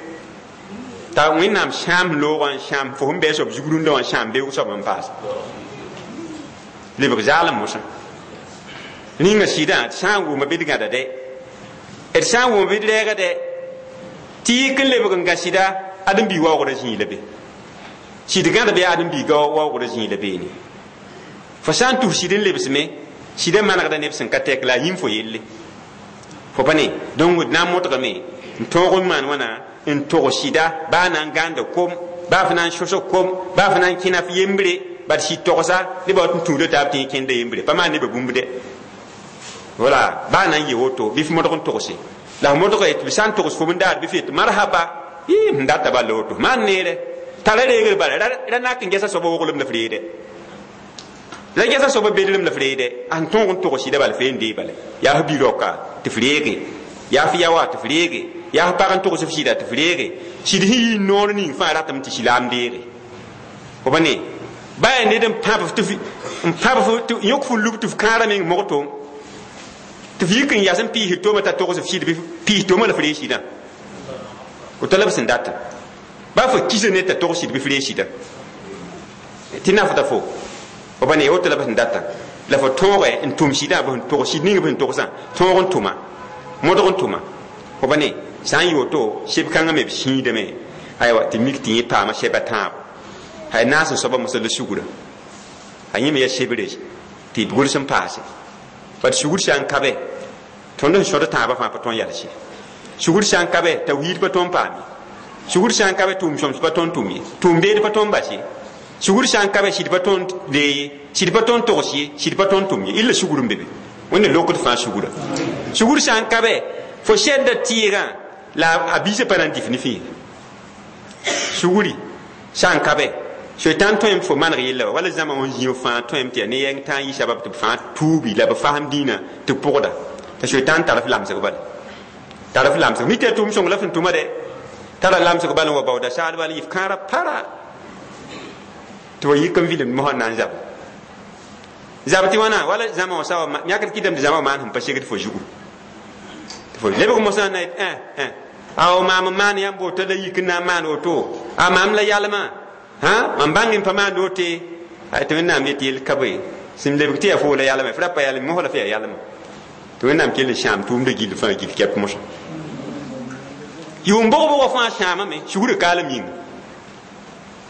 t'a Wẽnnaam sãam loogã n sãam fo sẽn bɩ a soab zug rũndã wã n sãam beoog soab n paas lebg zaalem mosã rĩnga sɩdã d sã n wʋma bɩ d gãda dɛ d sã n wʋma bɩ d rɛɛga dɛ tɩ yik n lebg n gã sɩda ãdem-bi waoogrã zĩig la be sɩd gãd bɩ ãdem-biiga waoogrã zĩig la beene fo sã n tus sɩd n lebsme sɩda manegda neb sẽn ka tɛk la a yĩm fo yelle fo pa ne donc d na n modgame n tõog n maan wãna n tog sɩda baa na n gãanda kom baa f na n sõsg kom baa f na n kẽna f yembre bad sɩd togsa nebã wat n tũuda taab tɩ yẽ kẽnda yembre pa maan nebã bũmb dɛ voilà baa na n yɩ woto bɩ f modg n togse la f modga tɩ b sã n togs fo n daar bɩ f yet marhaba yɩ n data bal la woto maan neere tara reegr bala ra nak n gɛsa soaba woglem la f reede la gɛsa soaba bedrem la f reede a sẽn tõog n tog sɩda bala f n dee bala yaa f bi-raoka tɩ f reege yaa f yaoa tɩ f reege yaa f pag n togs f sɩda tɩ f reege sɩd sẽn yɩ noor ning fãa ratame tɩ silaam deege fo pa ne baa yaa ned n pãb n pãb tɩ yõk fo lub tɩ f kãara meng mogto tɩ f yik n yas n piisd toomã t'a togs f sɩd bɩ piis toomã la f reeg sɩdã woto la b sẽn data baa fo kisa ned t'a togs sɩd bɩ f reeg sɩdã tɩ nafda fo fo pa ne woto la b sẽn data la fo tõoge n tʋm sɩdã b sẽn tog sɩd ning b sẽn togsã tõog n tʋma modg n tʋma fo pa ne sã n yɩ woto seb kãngã me b sĩidame aywa tɩ mik tɩ yẽ paama sɛba tãabo hay naas n soaba mosã la sugrã a yẽ me yaa sebre tɩ b gʋls n paase bad sugr sã n ka be tõnd sẽn sõd tãabã fãa pa tõn yals ye sugr sã n ka be tawhiid pa tõn paam ye sugr sã n ka be tʋʋm sõms pa tõn tʋm ye tʋʋm beed pa tõn bas ye sugr sã n ka be sɩd pa tõn dee ye sɩd pa tõn togs ye sɩd pa tõn tʋm ye illa sugr n be be Wẽnna lokd fãa sugra sugr sã n ka be fo sɛdda tɩɩgã la a biisã pa na n dɩf ne fẽe sugri sã n ka be soitan tõem tɩ fo maneg yella wala zãma wã zĩig fãa tõem tɩ yaa ne yɛng tã n yɩ sabab tɩ b fãa tuubi la b fasem dĩinã tɩ b pʋgda t'a soitan tar f lamsg bala tar f lamsg mi tɩ yaa tʋʋm sõng la f sẽn tʋma dɛ tara lamsg bal n wa baooda saal bal n yɩ f kãara para tɩ wa yik n vilemd mosã n na n zab zab tɩ wãna wala zãma wã sa wa yãkd kɩtame tɩ zãma wã maan sẽn pa segd fo zugu tɩ fo lebg mosã na yet a maam n maan yãmb woto la yik n na n maan woto a maam la yalmã ha mam bãng n pa maan wote tɩ Wẽnnaam yet yell ka bõe sẽn lebg tɩ yaa foo la yalma f ra pa yalme mosã la f yaa yalma tɩ Wẽnnaam kell n sãam tʋʋmdã gill fãa gill kɛp mosã yʋʋm bʋg-bʋgã fãa sãamame sugrã kaalem yĩnga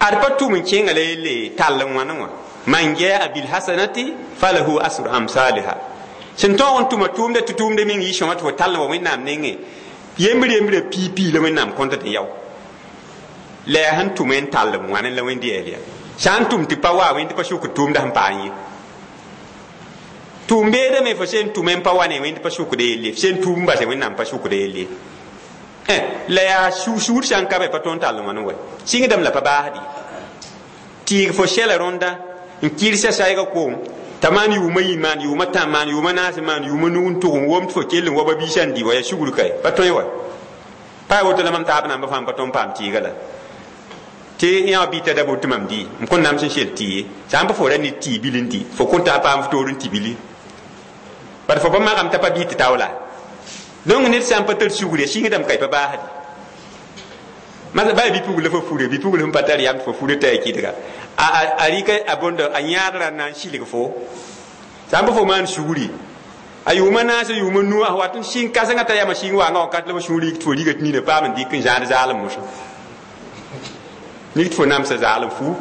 ad pa tʋm n kẽnga la yelle tall n wãne wã man jaa bilhasanati falahu asru amsaliha sẽn tõog n tʋma tʋʋmda tɩ tʋʋmda meng yɩ sõma tɩ fo tall n wa Wẽnnaam nengẽ yembr yembrã pii pii la Wẽnnaam kõnt tɩ yao la yaa sẽn tʋm n tall n wãne la Wẽnd yɛɛl ya sã n tʋm tɩ pa wa Wẽnd pa sʋkd tʋʋmda sẽn paam ye tʋʋm beedame fo sẽn tʋm n pa wa ne Wẽnd pa sʋkd yelle f sẽn tʋʋm base Wẽnnaam pa sʋkd yelle la yaa sugr sã n ka be pa tõnd tall n wãne wɛ sɩngdame la pa baasd ye tɩɩg fo sɛla rõnda n kɩrsa saɛga koom T'a maan yʋʋmã yi maan yʋʋmã tã maan yʋʋmã naas maan yʋʋmã nug n tʋg n wom tɩ fo kell n wa ba biisã n dɩ wa yaa sugr kae pa tõe wa pa yaa woto la mam taab nambã fãa n pa tõnd paam tɩɩga la tɩ yã bɩ t'a da bot tɩ mam dɩ m kõn nams n sel tɩ ye sã n pa fo ra ne tɩ bil n dɩ fo kõn taa paam f toor n tɩ bili bad fo pa magame t'a pa bɩ tɩ taoola donc ned sã n pa tar sugre sɩngdame ka y pa baasde mas ba bipugl fo fure bipugl sẽn pa tar yam tɩ fo fure t'a ya kɩdga a rɩka a bõndo a yãadrã n na n silg fo sã n pa fo maan sugri a yʋʋmã naas a yʋʋmã nu a wat n sɩng kãsengã t'a yama sɩng waangã wakat la fo sũur yik tɩ fo riga tɩ nina paam n dɩk n zãad zaalem mosã nik tɩ fo namsa zaalem fu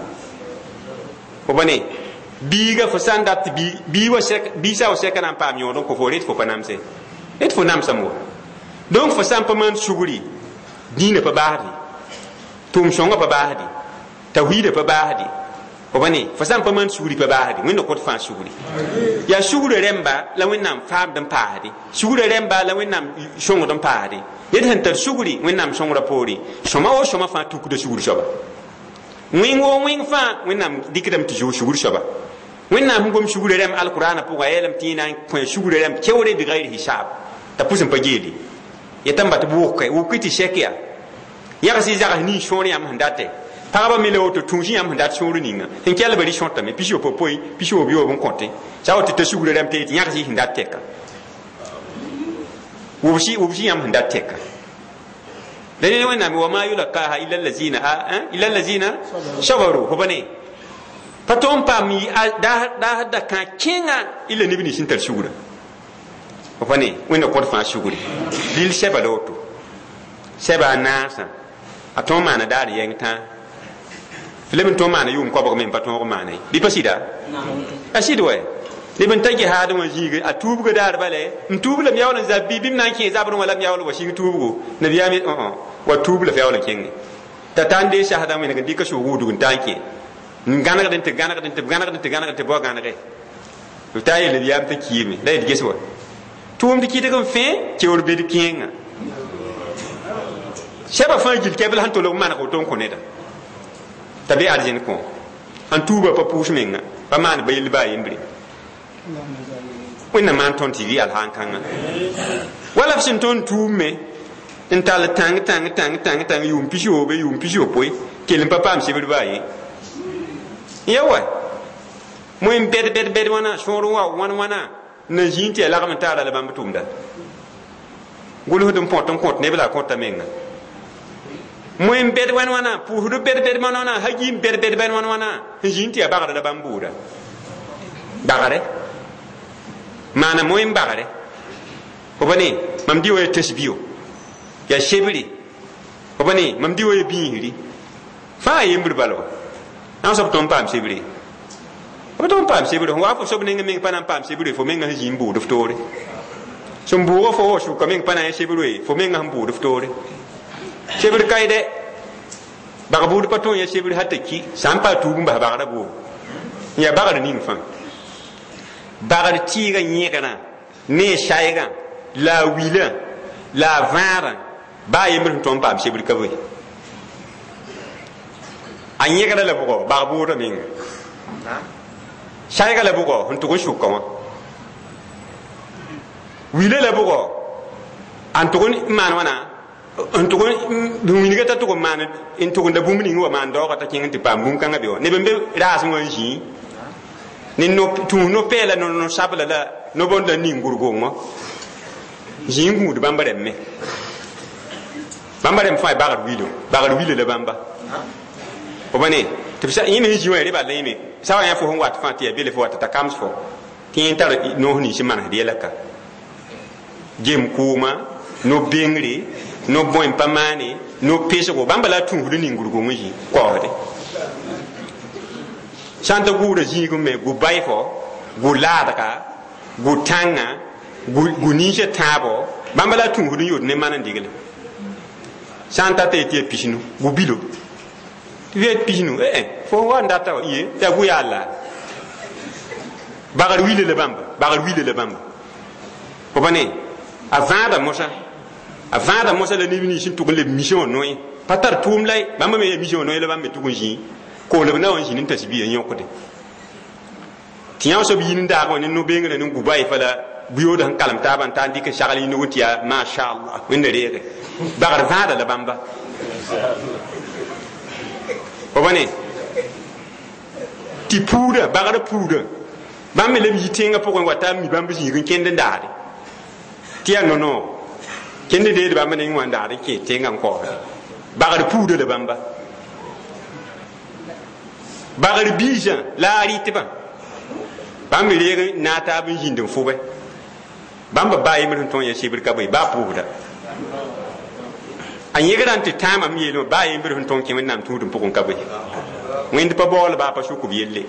fo pa ne biiga fo sã n dat tɩ bii sa wa sɛka na n paam yõod n kõ fo ret fo pa namse ret fo namsame wa donc fo sã n pa maan sugri dĩinã pa baasde tʋʋm sõngã pa baasde tawhiidã pa baasde fo pa ne fo sã n pa maan sugri pa baasde wẽnna kõt fãa sugri yaa sugrã rẽmba la wẽnnaam faamd n paasde sugrã rẽmba la wẽnnaam sõngd n paasde ned sẽn tar sugri wẽnnaam sõngrã poore sõma wo sõma fãa tukda sugr soaba wẽng wo wẽng fãa wẽnnaam dɩkdame tɩ zoog sugr soaba wẽnnaam sẽn gom sugrã rẽmb alkʋraanã pʋga a yeelame tɩ yẽ na n kõ sugrã rẽmb keoore bigayr hisaab t'a pʋs n pa geele yetame ba tɩ b wʋke wʋk tɩ sɛk yaa yags y zags nin sõor yãmb sẽn datɛ pagba me la woto tũus yãmb sẽn dat sõor ninga sẽn kelba rɩ sõtame pis-yopoe pis-yoob yoob n kõte sã woto t'a sugrã rãmb tɩ yãgs y sẽn dat tɛka wʋbs yãmb sẽn dat tɛka la ne wẽnnaam wa ma yulakaha illa allazina illa allazina sabaru fo pa ne pa tõog n paam daasd da kã kẽnga illa neb nins sẽn tar sugrã fo pa ne wẽnna kõt fãa sugri lil sɛba la woto sɛba a naasã a tõog maana daar yɛng tãa tɩ leb n tõog maana yʋʋm koabg me n pa tõog maana ye bɩ pa sɩda a sɩd wɛ neb n ta gehaadẽ wã zĩige a tuubga daar bale n tuub lam yaool n zab bɩ bɩm na n kẽ zabrẽ wã lam yaool wa sɩng tuubgo nabiyaam wa tuub la f yaool n kẽnge t'a ta n dee sasdã wẽneg n dɩka sʋʋg wudg n ta n kẽ n gãnegd n tɩ gãnegd n tɩ gãnegd n tɩ gãnegd tɩ bao gãnege b taa yel nabiyaam t'a kiime la yet ges wa tʋʋmd kɩdg n fẽ keoor bed kẽengã sɛba fãa gil kɛbl sẽn tolg maneg woto n kõ neda t'a be arzẽn kõ n tuuba pa pʋʋs menga pa maan ba yell baa yembre wẽnnaam maan tõnd tɩ rɩ alhaan kãngã wala f sẽn tõnd tuum me n tall tãng tãng tãng tãng tãng yʋʋm pis-yoobe yʋʋm pis-yopoe kell n pa paam sebr baa ye ya wa moẽ bɛd bɛd bɛd wãna sõor n wa wãn wãna n na zĩig tɩ yaa lagm n taara la bãmb tʋmda gʋlsd n põt n kõt neb la a kõta menga moẽ bɛd wãn wãna pʋʋsd bɛd bɛd wãn wãna hagi n bɛd bɛd bɛd wãn wãna n zĩig tɩ yaa bagrã la bãmb bʋʋda bagre maana moẽ n bagre fo pa ne mam dɩ wa ya tasbio yaa sebre fo pa ne mam dɩ wa ya bĩisri fãa yembr bala wa na soab tõnd paam sebre b tõnd paam sebre sẽn wa fo soab neng meng pa na n paam sebre fo menga sẽn zĩ n bʋʋd f toore sẽn bʋʋga fo wa sʋka meng pa na n ya sebre fo menga sẽn bʋʋd f toore sebr ka dɛ bag bʋʋd pa tõe n ya sebr hal t'a ki sã n pa tuub n bas bagrã bʋʋg n yaa bagr ning fãa bagr tɩɩgã yẽgrã ne a saygã la a wilã la a vãadã baa yembr sẽn tõnd paam sebr ka bõe a yẽgra la bʋgɔ bag bʋʋdã menga saygã la bʋgɔ sẽn tʋg n sʋka wã wilã la bʋgɔ n tʋg n maan wãna n tʋg n wilga t'a tʋg n maan n tʋgenda bũmb ning wa maan daoogã t'a kẽng n tɩ paam bũmb kãngã be wã neb n be raasẽ wã n zĩi ne tũus no-pɛɛla no-sabla la no-bõnd la ning gʋrgongõ zĩig n gũud bãmb rẽmb me bãmba rẽmb fãa bagr wilo bagr wilo la bãmba fo pa ne tɩ yẽ me sẽn zĩ wã ya rɩ bal la yẽme sa wa yã fo sẽn wat fãa tɩ yaa bele fo wat t'a kams fo tɩ yẽ tar noos nins n manesd yɛla ka gem kʋʋma no-bengre no-bõe n pa maane no-pesgo bãmba la a tũusd ning gʋrgong n zĩ kaoosde sã n ta gʋʋda zĩig me gu bayfo gu laadga gu tãngã gu ninsã tãabo bãmba la a tũusd n yod ne man n digle sã n ta t'a yetɩ yaa pisnu gu bilo tɩ f yaa pisnu eh fo wa n data wa ye tɩ yaa gu yaa la bagr wila la bãmba bagr wila la bãmba fo pa ne a vãada mosã a vãada mosã la neb nins n tʋg n leb mission wã noe pa tar tʋʋm la bãmba me yaa mission wã noe la bãmb me tʋg n zĩi koolb na wa n zĩnd n tasbiya n yõkde Tɩ yã soab yĩn n daag wã ne no-beengrã ne guba y fa la buyood sẽn kalem taabã n ta n dɩk n sagl yĩnug tɩ yaa mashallah wẽnda reege bagr vãada la bãmba fo pa ne tɩ puudã bagrã puudã bãmb me leb yi tẽngã pʋgẽ wa t'a mi bãmb zĩig n kẽnd n daade tɩ yaa no-noog kẽnd deed bãmb neng wã n daad n kẽ tẽngã n kaoosde bagr puudã la bãmba bagr biisã la a rɩtbã bãmb me reeg n naag taab n zĩnd n fʋbe bãmb baa yembr sẽn tõe ya sebr ka bõe baa pʋʋsda a yẽgrã n tɩ tãamam yeelmã baa yembr sẽn tõe n kẽ wẽnnaam tũudem pʋgẽ ka bõe wẽnd pa baool baa pa sʋk b yelle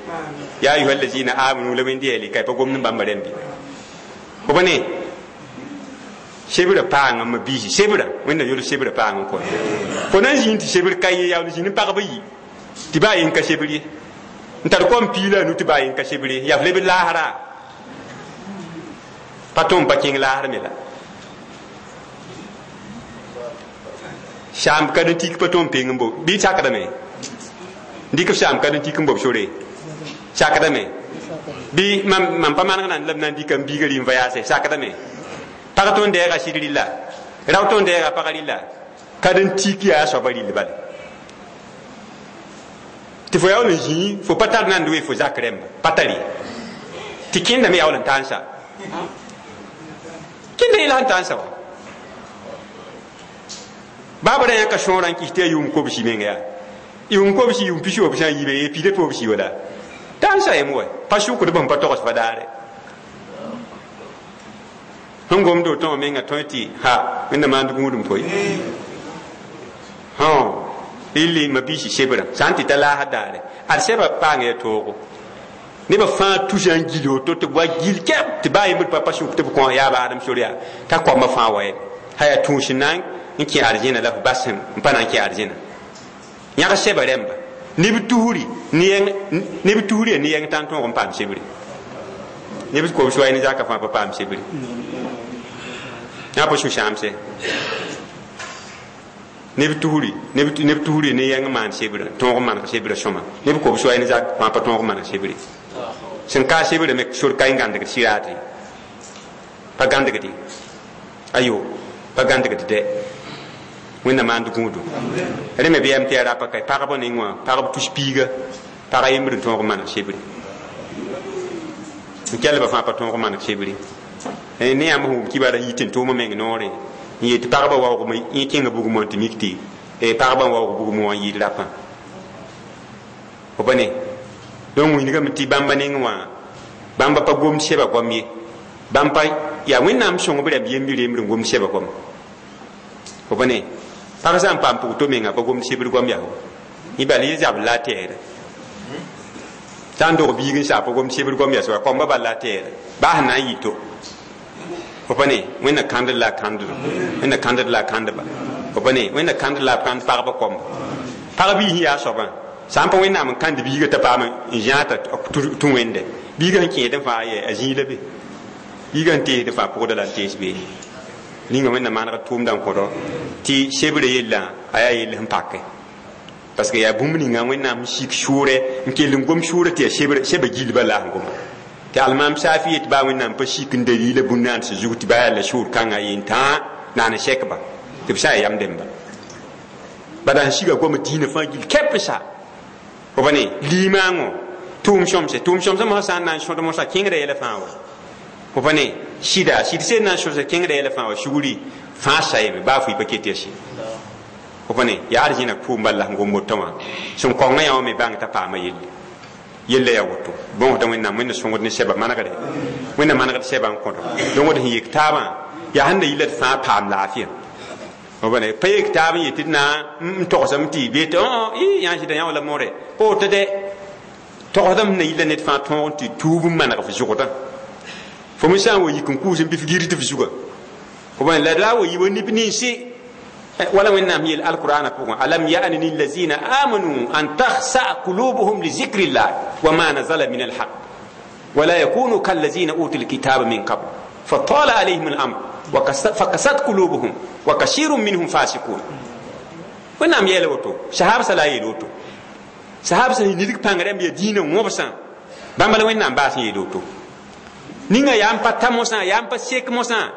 ya ayuha allazina amanu la wẽnd yeele ka pa gomd n bãmba rẽmbe fo pa ne sebrã paanga ma biisi sebrã wẽnna yol sebrã paang n kõ fo na n zĩnd tɩ sebr ka ye yaool zĩnd n pagb yi tɩ baa yen ka sebr ye n tar kom piila a nu tɩ baa yen ka sebr ye yaa f leb laasra pa tõem pa kẽng laasr me la saam ka n tik pa tõem peng n bo bɩ sakdame dɩk f saam ka n tik n bob sore sakdame bɩ mam pa maneg nan la b na n dɩka n biiga rɩ n vayaase sakdame pag tõnd deega sɩd rɩlla rao tõnd deega pag rɩlla ka n tik yaa a soaba rɩll bale tɩ fo yaool n zĩi fo pa tar nand we fo zak rẽmba pa tare tɩ kẽndame yaool n tãnsa kẽnda yẽla sẽn tãnsa wa baaba ra yãka sõorã n kɩs tɩ yaa yʋʋm kobsi meng yaa yʋʋm kobsi yʋʋm pis wobsã n yiibe ye piida tobsi wala tãnsa yem wa pa sʋkd bõmb pa togs pa daare sẽn gomd woto wã menga tõe tɩ ha wẽnna maand gũudum koe hõ rɩlli ma biisi sebrã sã n tɩ ta laasd daare ad sɛba paanga ya toogo nebã fãa tusa n gil woto tɩ b wa gil kɛb tɩ baa yembd pa pa sʋk tɩ b kõ yaa baadem sor yaa t'a koambã fãa wa yeme ha yaa tũus n na n kẽ arzẽna la f bas n pa na n kẽ arzẽna yãg sɛba rẽmba neb tusri neb tusri ya ne yɛng tã n tõog n paam sebre neb kobs wa ne zaka fãa pa paam sebre yã pa sũ-sãamse neb tusri neb tusri ne yɛng maan sebrã tõog n maneg sebrã sõma neb kobs wa ne zak fãa pa tõog n maneg sebre sẽn ka sebrã me sor ka n gãndgd sɩraate pa gãndgde ayo pa gãndgd dɛ wẽnna maand gũudu rẽ me bɩ yam tɩ yaa rapa ka pagba neng wã pagb tus piiga pag yembr n tõog n maneg sebre n kelba fãa pa tõog n maneg sebre ne yãmb sẽn wʋm kibaara yɩ tɩ n tʋʋm meng noore n yet pagba waoogm yẽ kẽnga bugum wã tɩ mik tɩ pagba n waoog bugum wã n yɩɩd rapã fo pa ne donc wilgame tɩ bãmba neng wã bãmba pa gomd sɛba goam ye bãmb pa yaa wẽnnaam sõngb rãmb yembi rembr n gomd sɛba goam fo pa ne pag sã n paam pʋg to menga pa gomd sebr goam yaa yẽ bala yẽ zabl la a tɛɛda sã n dog biig n saa pa gomd sebr goam yaa soaba koamba bal la a tɛɛda baa sẽn na n yɩ to fo pa ne wẽnna kãndr la a kãnddo wẽnna kãndr la a kãndba fo pa ne wẽnna kãndr la a kãnd pagba koamba pag biis yaa soabã sã n pa wẽnnaam n kãnd biiga t'a paam n zãata tũ wẽnde biiga sẽn kẽed n fãa yɛ a zĩig la be biiga sẽn teesd fãa pʋgda la n tees beene ninga wẽnna manegd tʋʋmdã n kõdo tɩ sebrã yellã a yaa yell sẽn pake parce que yaa bũmb ninga wẽnnaam sik sʋʋrɛ n kell n gom sʋʋrã tɩ yaa sebra sɛba gilba la sẽn goma tɩ almaam saafi yet baa wẽnnaam pa sik n dalila bũn-naans zug tɩ baa yaa la sʋʋr kãngã yen tãa naan n sɛkba tɩ b sã yaa yam dẽmba bada sẽn siga goma diinã fãa gil kɛp n sa fo pa ne liimaangõ tʋʋm sõmse tʋʋm sõmsã mosã sã n na n sõd mosã kẽngrã yɛla fãa wa fo pa ne sɩda sɩd sẽn na n sõsa kẽngrã yɛla fãa wa sugri fãa sayame baa fo yɩ pa ket yaa sɩd fo pa ne yaa arzẽna pʋʋm bal la sẽn gom woto wã sẽn kõngã yã wã me bãng t'a paama yelle yella yaa woto bõosda wẽnnaam wẽnna sõngd ne sɛba manegre wẽnna manegd sɛba n kõdo donc d sẽn yek taabã yaa sẽn na yɩ la d fãa paam laafɩya fo pa ne pa yek taab n yet tɩ d na n togsame tɩ bee tɩ yã sɩda yã wala more pa woto dɛ togsdame sẽn na yɩ la ned fãa tõog n tɩ tuub n maneg f zʋgdã fo me sã n wa yik n kʋʋs n bɩ f gir tɩ f zuga fo pa la la wa yi wa neb ninsi wala wẽnnaam yeel alqur'ana pʋgẽ alam ya'ni lillazina amanu an takhsa qulubuhum li zikrillah wa ma nazala min alhaq wala yakunu kallazina utu lkitaba min qabl فطال عليهم الأمر فقست قلوبهم وكثير منهم فاسقون wẽnnaam yɛɛla woto sahab sã la a yeel woto sahab sẽn nidg pãng rãmb yaa dĩinã wõbsã Bãmba la Wẽnnaam baas n yeel woto ninga yaa n pa ta mosã yaa n pa sek mosã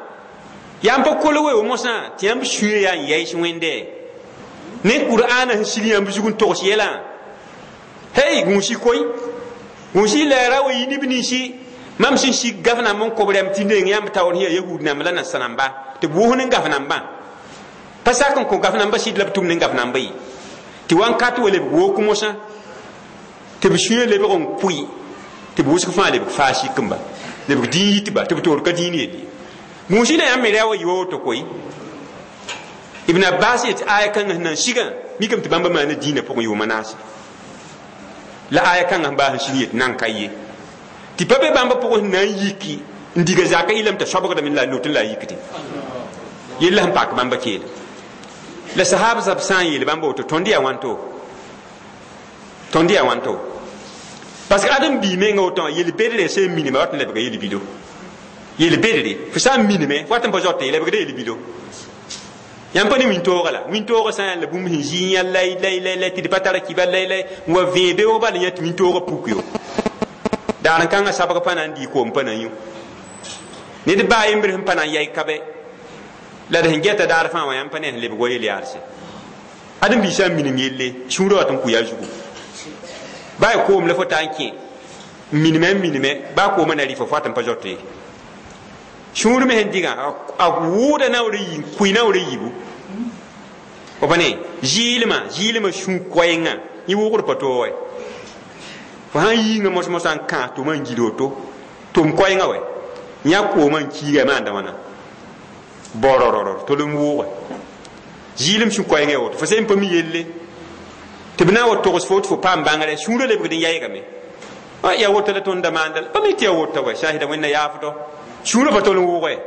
yaa n pa kol weo mosã tɩ yãmb sũyã yaa n yaɩs Wẽnde ne Kur'aana sẽn sig yãmb zug n togs yɛlã hey gũusi koy gũusi lɛɛra wa yi neb ninsi mam sẽn sig gaf namba n kob rɛm tɩ neng yãmb taoor sẽn yaa yahud namba la nasa namba tɩ b wʋsd n gaf nambã pa sak n kõ gaf namba sɩd la b tʋm ne gaf namba ye tɩ wãnkat wa lebg wok mosã tɩ b sũyã lebg n pʋɩ tɩ b wʋsg fãa lebg faa sikemba lebg dĩin yitba tɩ b toor ka dĩin yelle gũusi la yãmb me ra wa yɩ wa woto koy Ibn Abbas yet aya kãngã sẽn na n sigã mikame tɩ bãmba maana dĩinã pʋgẽ yʋʋma naase la aya kãngã sẽn baas n sig yet nan ka ye tɩ pa be bãmba pʋgẽ sẽn na n yiki n diga zaka yɩlame t'a soabgdame la a lot n la a yikde yella sẽn pak bãmba keela la sahab sab sã n yeel bãmba woto tõnd yaa wãnto tõnd yaa wãnto parce que ãdem bii menga woto wã yel-bedre sẽn minime wat n lebga yel-bido yel-bedre fo sã n minime fo wat n pa zote lebgda yel-bido yãmb pa ne wĩntooga la wĩntooga sã n yaa la bũmb sẽn zĩ yã lay lay lay lay tɩ d pa tara kiba lay lay n wa vẽe beoog bala yã tɩ wĩntooga puk yo daar n kãngã sabg pa na n dɩ koom pa na n yũ ned baa yembr sẽn pa na n yɛy ka bɛ la d sẽn gɛta daar fãa wã yãmb pa ne sẽn lebg wa yel-yaalse ãdem bii sã n minim yelle sũurã wat n kʋ a zugu baa y koom la fo ta n kẽ n minime n minime baa koomã na rɩ fo fo wat n pa zote ye sũur me sẽn dɩgã a wʋʋda naoor yi n kʋɩ naoor yiibu fo pa ne zɩɩlmã zɩɩlmã sũ koɛɛngã yẽ wʋgd pa toog wɛ fo sã n yiingã mos mosã n kãas tʋmã n gil woto tʋm koɛɛngã wɛ yã koomã n kiiga maanda wãna borororor tol n wʋʋge zɩɩlem sũ koɛɛngã ya woto fo sẽn pa mi yelle tɩ b na n wa togs fo tɩ fo paam bãngrɛ sũurã lebgd n yaygame ya woto la tõnd da maanda pa mi tɩ ya wota wɛ sahida Wẽnna yaafdɔ sũurã pa tol n wʋʋge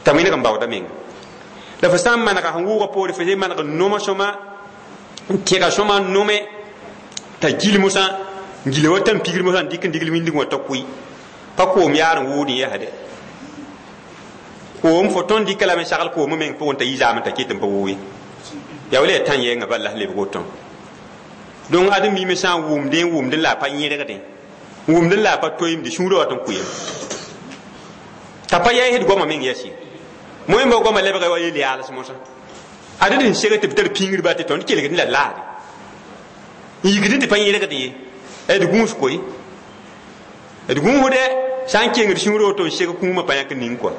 t'a wẽneg n baooda menga la fo sã n manega sẽn wʋʋga poore fo sẽn maneg n noma sõma n tẽga sõma n nome t'a gil mosã n gila wa tãn-pigr mosã n dɩk n digl wĩndg wã t'a kʋɩ pa koom yaar n wʋʋd n yɛsde koom fo tõnd dɩka lame sagl koomã meng pʋgẽ t'a yi zaame t'a ket n pa wʋʋ ye yaa wala yaa tã yɛɛngã bal la sẽn lebg wotõ donc ãdem biime sã n wʋmdẽ n wʋmdẽ la a pa yẽregdẽ n wʋmdẽ la a pa toeemde sũurã wat n kʋɩyame t'a pa yaɩsd goamã meng yɛs ye moẽmba goamã lebga wa yel-yaals mosã ad d sẽn seg tɩ b tar pĩngr tɩ tõnd kelgd la laade n yikd tɩ pa yẽregd ye d gũus koe d gũusdɛ sã n kengd sũurã woto n seg kũumã pa yãk ning kɔa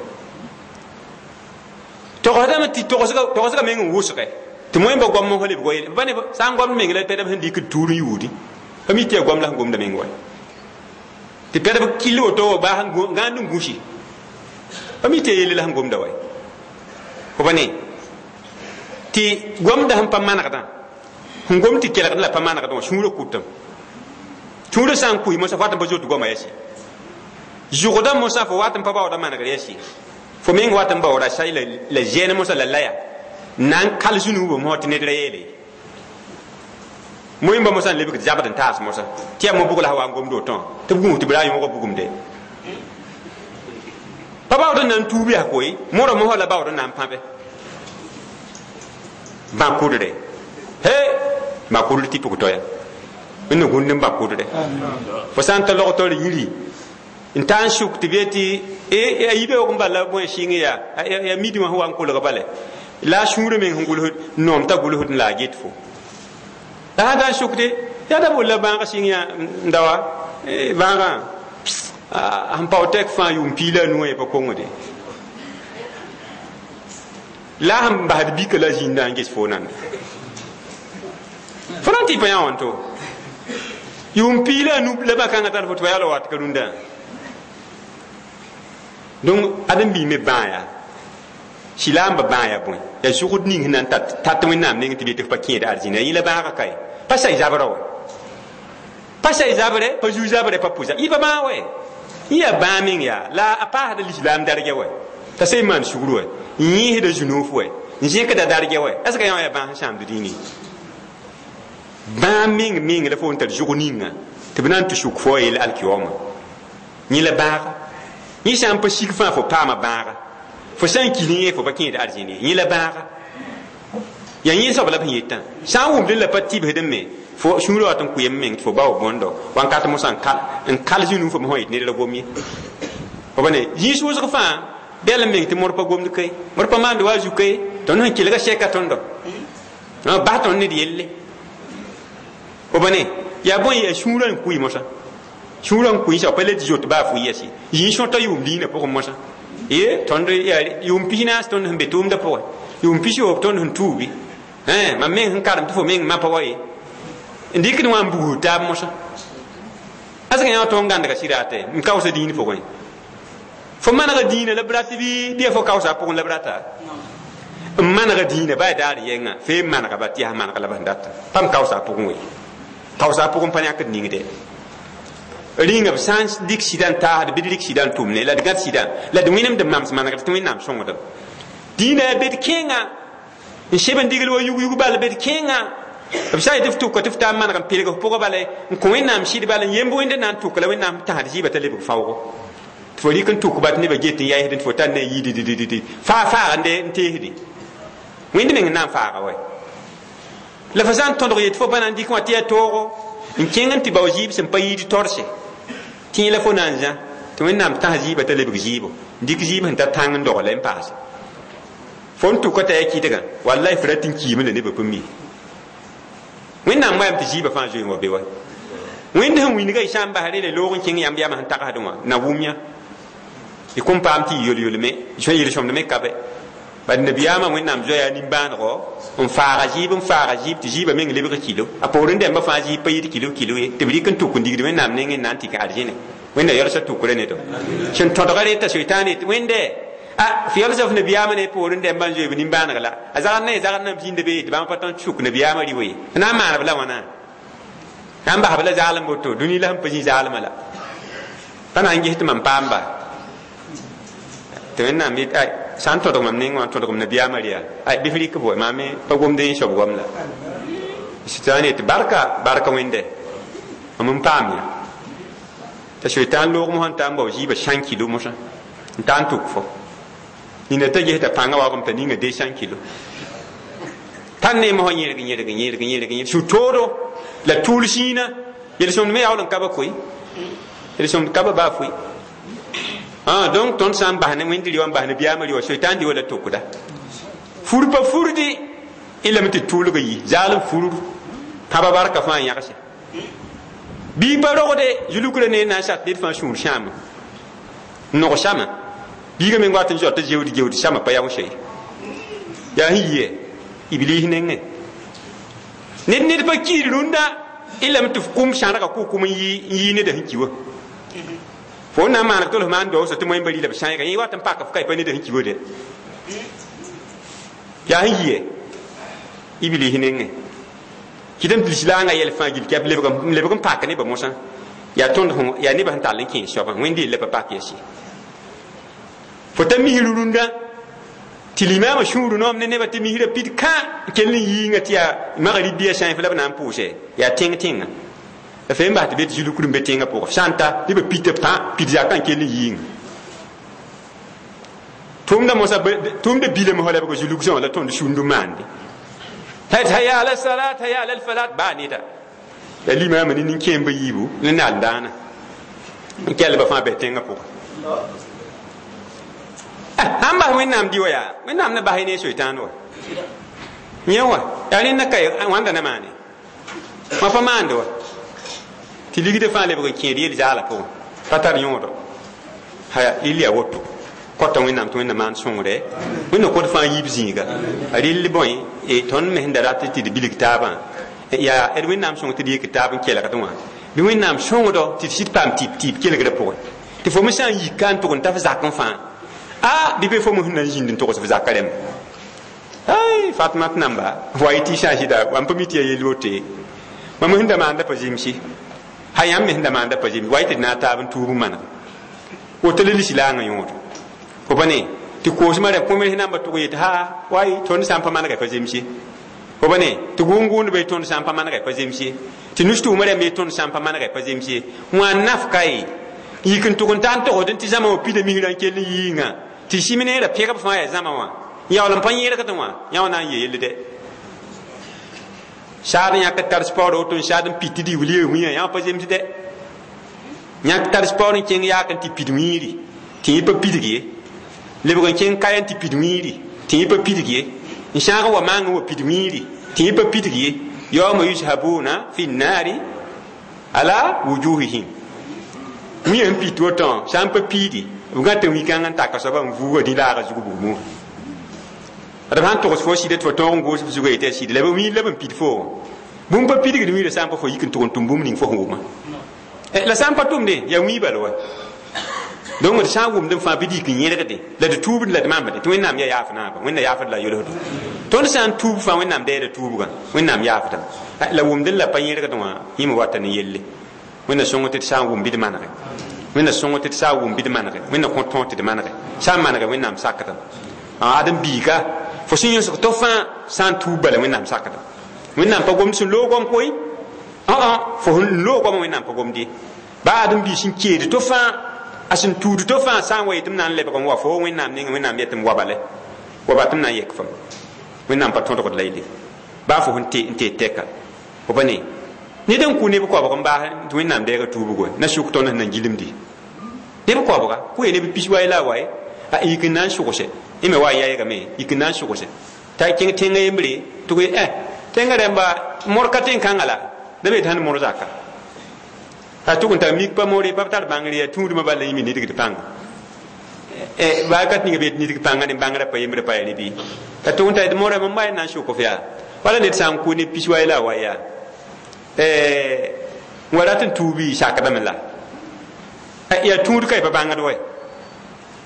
togsdame tɩ togsga meng n wʋsgɛ tɩ moẽmba goam n lebg wa yel pa ne sã n goamd meng la pɛdb sẽn dɩkd tuur n yuudi pa mi tɩ yaa goam la sẽn gomda meng wa tɩ pɛdb kill woto wa baa gãand n gũsi pa mi tɩ yaa yelle la sẽn gomda wa fo pa ne tɩ gomda sẽn pa manegdã sẽn gom tɩ kelgd la pa manegdã wã sũurã kʋtame sũurã sã n kʋɩ mosã fo wat n pa zot goamã yɛs ye zʋgdã mosã fo wat n pa baooda manegr yɛs ye fo meng wat n baooda say la zɛɛn mosã la laya na n kal zũnubã mosã tɩ ned ra yeele moẽmba mosã n lebg zabd n taas mosã tɩ yaa mo-bʋg la sã wa n gomd wotõ tɩ b gũus tɩ b ra yõoga bugumde pa baood n na n tuub yaa koe morã mosã la baood n na n pãbe bã kʋdre he ba kʋdr tɩ pʋg toya wẽnna gũnd n ba kʋdre fo sã n ta log taoor yiri n ta n sʋk tɩ b yetɩ a yibeoog n bala bõe sɩng yaa yaa midi wã sẽn wa n kolg bale la a sũurã meng sẽn gʋlsd noom t'a gʋlsd n la a get fo la sã ta n sʋkde yaa da bolla bãag sɩng yã n dawa bãagã sẽn pao tɛk fãa yʋʋm piig la a nu wã pa kongde la a sẽn basd bika la zĩnda n ges fo nanda fo na n tɩ pa yã wãnto yʋʋm piig la a nu la bã-kãngã tar fo tɩ pa yaa la wat ka rũndã donc ãdem bii me bãa yaa sɩlaamba bãa yaa bõe yaa zʋgd ning sẽn na n tat Wẽnnaam neng tɩ b yetɩ f pa kẽed arzĩna yẽ la bãaga kae pa say zabrã wa pa say zabrɛ pa zu zabrɛ pa pʋ yɩ pa bãag wɛ yẽ yaa bãag meng yaa la a paasda lislaam dargɛ wɛ t'a sẽn maan sugr wɛ n yẽesda zũnof wɛ n zẽkda dargɛ wɛ est ce que yã wã yaa bãag sẽn sãamd dĩinẽ bãag meng meng la fo n tar zʋg ninga tɩ b na n tɩ sʋk fo a yell alkiyooma yẽ la bãaga yẽ sã n pa sig fãa fo paama bãaga fo sã n ki ne yẽ fo pa kẽed arzĩne yẽ la bãaga yaa yẽ soab la b sẽn yetã sã n wʋmd la pa tɩbsdẽ me Fo sũurã wat n kʋɩ meng tɩ fo bao bõndo wãnkat mosã n kal zĩnu fo me sã yet ned ra gom ye fo pa ne zĩig wʋsg fãa bɛl n meng tɩ mod pa gomd kae mod pa maand wa a zu kae tõnd sẽn kelga sɛka tõndo bas tõnd ned yelle fo pa ne yaa bõe yaa sũurã n kʋɩ mosã sũurã n kʋɩ sã pa le tɩ zoet baa fʋ yɛs ye zĩig sõta yʋʋm diinã pʋgẽ mosã ye tõnd yaa yʋʋm pis naas tõnd sẽn be tʋʋmdã pʋgẽ yʋʋm pis yoob tõnd sẽn tuubi mam meng sẽn karem tɩ fo meng mapa wa ye n dɩkd wã n bugsd taab mosã a yã tõnd gãndga sɩda tɛ n kaoosa dĩin pʋgẽ fo manega dĩinã la b rat bɩ bɩ fo kaoosa a pʋgẽ la b rata n manega dĩinã baa daar yɛngã fee n manega ba tɩ yaa manega la b sẽn data pam kaoosa a pʋgẽ we kaoosa a pʋgẽ pa yãkd ningde rĩnga b sã n dɩk sɩda n taasd bɩ d rɩk sɩda n tʋmne la d gãd sɩda la d wẽnemd n mams manegd tɩ wẽnnaam sõngdem dĩinã yaa bed kẽenga n seb n digl wa yug-yug bal bed kẽenga b sã n yetɩ f tʋka tɩ f taa n maneg n pelg f pʋgã bale n kõ wẽnnaam sɩd bal n yemb wẽnd na n tʋk la wẽnnaam tãsd zɩɩba t'a lebg faoogo tɩ fo rɩk n tʋk ba tɩ nebã get n yaɩsd tɩ fo tar ne a yiididididi faa faagande n teesdẽ wẽnd meng n na n faaga wɛ la fo sã n tõdg yetɩ fo pa na n dɩk wã tɩ yaa toogo n kẽng n tɩ bao zɩɩb sẽn pa yiid torse tẽ la fo na n zã tɩ wẽnnaam tãs zɩɩba t'a lebg zɩɩbo n dɩk zɩɩb sẽn ta tãng n dogle n paase fo n tʋka t'a yaa kɩdgã wallahi fo rat n kiime la nebã pa mi wẽnnaam wayame tɩ zɩɩbã fãa zoe n wa be wa wẽnd sẽn wĩnga y sã n bas rele loog n kẽng yãmb yamã sẽn tagsdẽ wã na wʋm yã y kõn paam tɩ y yol-yolme yel-sõmd me ka bɛ bad nabiyaamã wẽnnaam zoa yaa nimbãanego n faaga zɩɩb n faaga zɩɩb tɩ zɩɩbã meng lebg kilo a poorẽ dẽmbã fãa zɩɩb pa yɩɩd kilo kilo ye tɩ b rɩk n tʋk n digd wẽnnaam nengẽ n na n tɩ kẽ arzẽne wẽnda yalsã tʋkrã ne to sẽn tõdga reta soitaan yetɩ wẽnde a f yalsã f nabiyaamã ne poorẽ dẽmbã n zoe b nimbãaneg la a zagd na zagd na b zĩnda be tɩ bãmb pa tõnd sʋk nabiyaamã rɩ ye f na n maan b la wãna na n bas b la zaalem woto dũni la sẽn pa zĩ zaalmã la pa na n ges tɩ mam paam ba tɩ wẽnnaam yet ay sã n tõdg mam neng wã n tõdg m nabiyaamã rɩ ay bɩ f rɩk b wa maam pa gomd yẽ soab goam la sɩtan yetɩ barka barka wẽnde mam n paam yã t'a soitaan loog mosã n ta n bao zɩɩbã sãn kilo mosã n ta n tʋk fo nina t'a ges t'a pãngã waoogame t'a ninga deux cent kilo tãn ne mosã yẽrg yẽrg yẽrg yẽrg yẽrg su-toodo la tʋʋl sĩinã yel-sõmd me yaool n ka ba koe yel-sõmd ka ba baa foe ah donc tõnd sã n bas ne wẽnd rɩ wã n bas nabiyaamã rɩ wã soitaan dɩ wa la tʋkda fur pa furdi y lame tɩ tʋʋlg yi zaalem furr pãba barka fãa yãgse bii pa rogde zulukrã ne na n sat ned fãa sũur sãama n nog sãma biigã meng wat n zoa t'a zeood geood sãma pa yao se yaa sẽn yɩ iblis nengẽ ned ned pa kiid rũndã y lame tɩ f kʋm sãrga kʋ-kʋm n yɩ neda sẽn ki wa fo n na n maaneg tɩ l f maan daoosã tɩ moẽmba rɩ la b sãeega yẽ wat n pak f ka pa neda sẽn ki wa de yaa sẽn yɩ iblis nengẽ kɩdame tɩ lislaangã yɛl fãa gill kɛp lebg n pak nebã mosã yaa tõnd yaa nebã sẽn tall n kẽes soabã wẽnd yella pa pak yɛs ye fo ta misr rũndã tɩ limaamã sũur noom ne nebã tɩ misrã pid kã n kell n yiingã tɩ yaa magribi sã f la b na n pʋʋse yaa tẽng tẽnga la fe n bas tɩ be tɩ zulukr n be tẽngã pʋgã f sã n ta nebã pita pã pid zakã n kell n yiingã tʋʋmda mosã tʋʋmda bilame fa lebg zuluk sã la tõnd sũnd n maande hayya ala salat hayya ala falat baa neda la limaamã ne nin-kẽemba yiibu ne naal daana n kɛlba fãa bɩ tẽngã pʋgã sãn bas wẽnnaam dɩ wa yaa wẽnnaam na bas y ne soitaan wa yẽ wa yaa rẽnda ka wãnda na maane wã pa maande wa tɩ ligdã fãa lebg n kẽed yel zaala pʋgẽ pa tar yõodo haya rɩl yaa woto kota wẽnnaam tɩ wẽnna maan sõngre wẽnna kod fãa yiib zĩiga a rɩl bõe tõnd me sẽn da rat tɩ d bilg taabã yaa d wẽnnaam sõng tɩ d yik taab n kelgd wã bɩ wẽnnaam sõngdo tɩ d sɩd paam tɩp tɩɩb kelgrã pʋgẽ tɩ fo me sã n yik ka n tʋg n ta f zak n fãa a bɩ be fo me sẽn na n zĩnd n togs f zakã rẽmba ay Fatma tɩ namba wa y tɩ sã n sɩda n pa mi tɩ ya yell wote mam sẽn da maanda pa zemse ha yãmb me sẽn da maanda pa zemse wa y tɩ d na n taab n tuub n maneg woto la lislaangã yõodo fo pa ne tɩ koosmã rẽ kõ-me namba tʋg yetɩ ha way tõnd sã n pa manega pa zemse fo pa ne tɩ gʋʋn-gʋʋndbã ye tõnd sã n pa manega pa zemse tɩ nus-tʋʋmã rãmb ye tõnd sã n pa manega pa zemse wã naf ka ye yik n tʋg n ta n togsd tɩ zãma wã pida misrã n kell n yiingã tɩ sɩm neerã pẽgb fãa yaa zãma wã yaool n pa yẽrgdẽ wã yã wã na n yee yell dɛ Saad n yãk tar paoor woto n saad n pit tɩ d wili wĩyã yã pa zemsdɛ yãk tar paoor n kẽng yaak n tɩ pid wĩiri tɩ yẽ pa pidg ye lebg n kẽng kaya n tɩ pid wĩiri tɩ yẽ pa pidg ye n sãag n wa maang n wa pid wĩiri tɩ yẽ pa pidg ye yawma yushabuna fi nnaari ala wujuhihim wĩyã n pit woto sã n pa piidi b gãta wĩ-kãng n taka soaba n vuuga dĩ laaga zug bugmo d sãn togs fo sɩda tɩ fo tõog n goos f zugã yetɩ yaa sɩd la b wĩir la b n pid fo bũmb pa pidgd wĩirã sã n pa fo yik n tʋg n tʋm bũmb ning fo sẽn wʋma la sã n pa tʋmde yaa wĩig bal wa donc d sã n wʋmd n fãa bɩ d yik n yẽlgde la d tuubd la d mamde tɩ Wẽnnaam yaa yaaf naaba Wẽnna yaafd la yolsdo tõnd sã n tuub fãa Wẽnnaam deeda tuubgã Wẽnnaam yaafdame la wʋmd n la pa yẽlgd wã yẽme wata ne yelle Wẽnna sõng tɩ d sã n wʋm bɩ d manege Wẽnna sõng tɩ d sã n wʋm bɩ d manege Wẽnna kõ tõog tɩ d manege sã n manege Wẽnnaam sakdame adem biiga fo sẽn yõsg to fãa sã n tuub bala Wẽnnaam sakdame Wẽnnaam pa gomd sẽn loog goam koe fo sẽn loog goamã Wẽnnaam pa gomd ye baa adem biig sẽn keed to fãa a sẽn tuud to fãa sã n wa yetɩ m na n lebg n wa fo Wẽnnaam nengẽ Wẽnnaam yetɩ m wa bale wa ba tɩ m na n yek fam Wẽnnaam pa tõdgd la yelle baa fo sẽn n tee tɛka fo pa ne ned n kʋ neb koabg n baas tɩ Wẽnnaam deega tuubgo na sʋk tõnd sẽn na gilmdi neb koabga kʋ ye neb pis waye la a waye a yik n na n sʋgse y me wa n yaygame yik n na n sʋgse t'a kẽng tẽngã yembre tɩ koe ɛ tẽngã rẽmba mor ka tẽn-kãngã la da be tɩ sãn mor zaka a tʋg n tar mik pa more pa tar bãngr yaa tũudmã bala yĩme nidgd pãnga baa ka ninga be tɩ nidg pãnga ne bãngrã pa yembre pa ya ne bɩ t'a tʋg n tar tɩ morã mam wa na n sʋk f yaa wala ned sã n kʋ ne pis waye la a wa yaa n wa rat n tuubi sakdame la yaa tũud ka y pa bãngd wa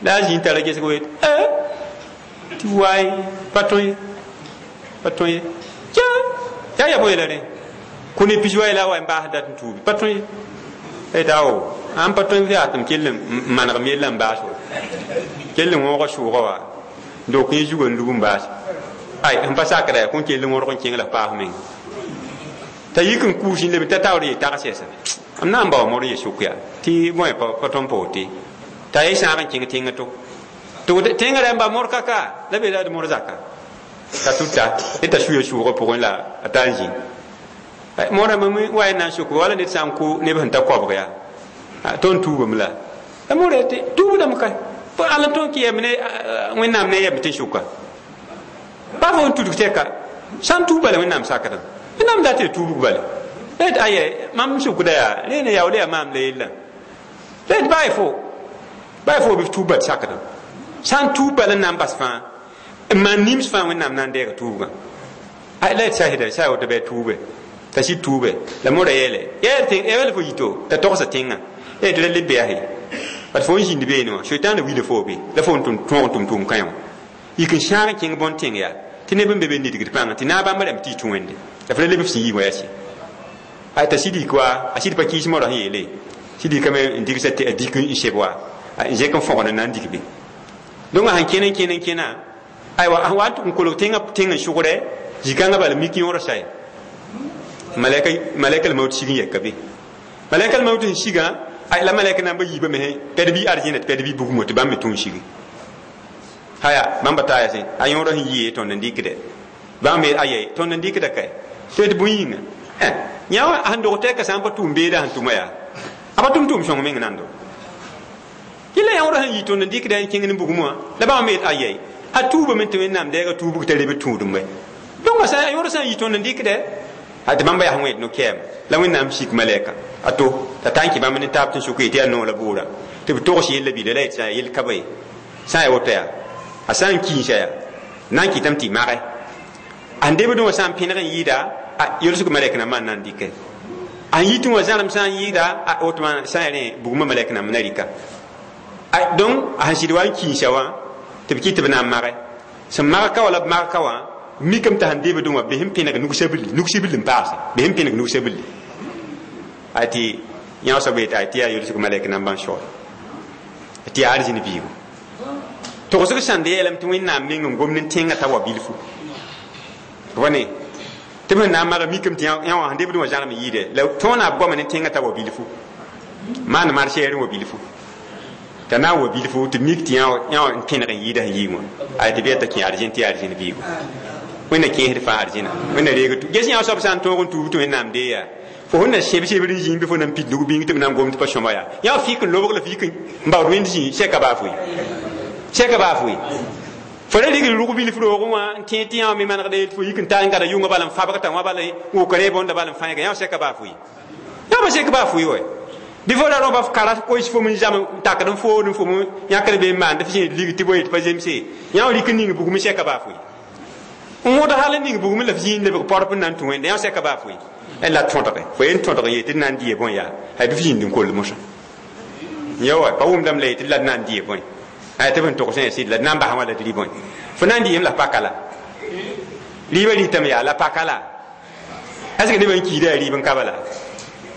la a zĩ tara gesg wet tɩ waay pa tõe ye pa tõe ye yaa yaa bõe la rẽ kʋ ne pis waye la a wa n baas dat n tuubi pa tõe ye t'a o ãn pa tõe yaa tɩ m kell n manegm yella n baas wa kell n wõoga sʋʋga wa dok yẽ zugã n lug n baas ay sẽn pa sakda yaa kõn kell n wõrg n kẽng la paas meng t'a yik n kuus n leb t'a taoor ye tags yɛsa m na n bao mor n ye sʋk yaa tɩ bõe pa tõnd pa wote t'a ye sãag n kẽng tẽngã to tɩ tẽngã rãmba mor kaka la be la d mor zaka t'a tuta ne t'a suya sʋʋgã pʋgẽ la a ta n zĩ morã mam wa n na n sʋk wala ned sã n kʋ neb sẽn ta koabg yaa tõnd tuubame la la mora tɩ tuubdame ka ala tõnd kɩ yɛm ne Wẽnnaam ne yɛm tɩ sʋka pa fo n tudg tɛka sã n tuub bala Wẽnnaam sakdame Wẽnnaam dat tɩ tuubg bala la tɩ aya mam sʋkda yaa rẽene yaool yaa maam la yella la tɩ baa fo baa fo bɩ f tuub bal sakdame sã n tuub bala n na n bas fãa n maan nims fãa Wẽnnaam na n deega tuubgã la tɩ sasda sa woto bɩ a tuube t'a sɩd tuube la mora yeele yɛl fo yito t'a togsa tẽngã tɩ la leb bease bat fo n zĩnd beene wã soetãanda wila fo be la fo n tõog n tʋm tʋʋm kãe wã yik n sãag n kẽng bõn tẽng yaa tɩ neb n be be nidgd pãngã tɩ naab bãmba rãmb tɩ y tũ Wẽnde la f la leb f sẽn yii wã yaa sɩ t'a sɩd yik wa a sɩd pa kɩɩs morã sẽn yeele sɩd yikame n digsa a dik n seb wa n zẽk n fõgd n na n dik be donc a sẽn kẽn n kẽn n kẽna aywa a wa n tʋg n kolg tẽngã tẽng n sʋgdɛ zĩ-kãngã bala mik yõor saye malɛka maut sig n yɛka be malɛka maut n sigã la malɛka nan ba yiibã me pɛd bɩ arzẽna tɩ pɛd bɩ bugmo tɩ bãmb me tũ n sigi haya bãmba taa yaa a yõorã sẽn yɩ tõnd n dɩkdɛ bãmb me aya tõnd n dɩkda kae tɩ d bõe yĩnga yã wã sẽn dog tɛka sã n pa tʋʋm beeda sẽn tʋma yaa a pa tʋm tʋʋm sõng meng nando yẽla yõorã sẽn yɩ tõnd n dɩkda n kẽng ne bugmã wã la bãmb me aya a tuubame tɩ Wẽnnaam deega tuubg t'a leb tũudum wɛ donc a yõorã sã n yɩ tõnd n dɩkdɛ tɩ bãmba yaa wẽed no-kɛɛm la Wẽnnaam sik malɛka a to t'a ta n kẽ bãmb ne taab tɩ n sʋk yetɩ yaa noog la bʋʋra tɩ b togs yella bila la yetɩ yel ka ba ye sã n yaa woto yaa a sã n kiinsa yaa na n kɩtame tɩ y mage a sẽn debdẽ wã sã n pẽneg n yɩɩda a yolsg malɛk nambã n na n dɩkɛ a sẽn yitẽ wã zãrem sã n yɩɩda a woto sã n yaa rẽ bugmã malɛk namba na rɩka donc a sẽn sɩd wa n kiinsa wã tɩ b kɩt tɩ b na n mage sẽn mag ka wã la b mag ka wã mikame t'a sẽn debdẽ wã bes n pẽneg nug-sabilli nug-sibilli n paase bes n pẽneg nug-sabilli a tɩ yã soab yetɩ ay tɩ yaa yolsg malɛk nambã n soa tɩ yaa arzĩn biigo togsg sãnd yeelame tɩ Wẽnnaam meng n gomd n tẽngã t'a wa bilfu wa ne tɩ b sẽn na n maga mikame tɩ yã wã sẽn debdẽ wã zãrem yɩɩdɛ la tõona b goama ne tẽngã t'a wa bilfu maan marseer n wa bilfu t'a na n wa bilfu tɩ mik tɩ yã wã n pẽneg n yɩɩda sẽn yii wã ay tɩ bɩ t'a kẽ arzẽn tɩ yaa arzẽn biigo Wẽnna kẽesd fãa arzẽna wẽnna reeg tu ges yã soab sã n tõog n tuub tɩ wẽnnaam dee yaa fo sẽn na sẽb sebr n zĩig bɩ fo na n pid nug bĩng tɩ b na n gom tɩ pa sõma yaa yã fik n lobg la fik n baood wẽnd zĩ sɛka baa foe sɛka baa foe fo ra rigd rʋg bilf roogẽ wã n tẽ tɩ yã me manegda yel tɩ fo yik n ta n gada yʋngã bala n fabgta wã bala wʋk rẽ bõnda bala n fãiga yã sɛka baa foe yã pa sek baa foe wa bɩ fo ra rõba f kara koes fo n zam n takd n food n fo yãkd be n maand f zẽed lig tɩ boe tɩ pa zemse yã w rɩk n ning bugum sɛka baa foe n wõd hal n ning bugum la f zĩig lebg porp n na n tũ wẽnde yã sɛka baa foe la tõdge fo yen tõdg n yet tɩ d na n dɩ bõe yaa ay bɩ f zĩnd n koll mosã ya wa pa wʋmdame la yetɩ la d na n dɩ bõe ay tɩ b n togs sã sɩd la d na n bas wã la d rɩ bõe fo na n dɩ la paka la rɩɩbã rɩtame yaa la paka la est ce que nebã n kiida yaa rɩɩb n ka bala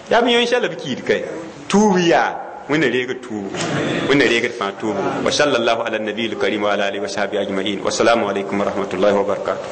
yaa b yõe la b kiid kay tuub yaa wẽnna reegd tuubu wẽnna reegd fãa tuubu wa sallallahu ala nabiy lkarim wa ala alihi wa sahbihi ajmain wassalamu alaikum wa rahmatullahi wa barakatuh.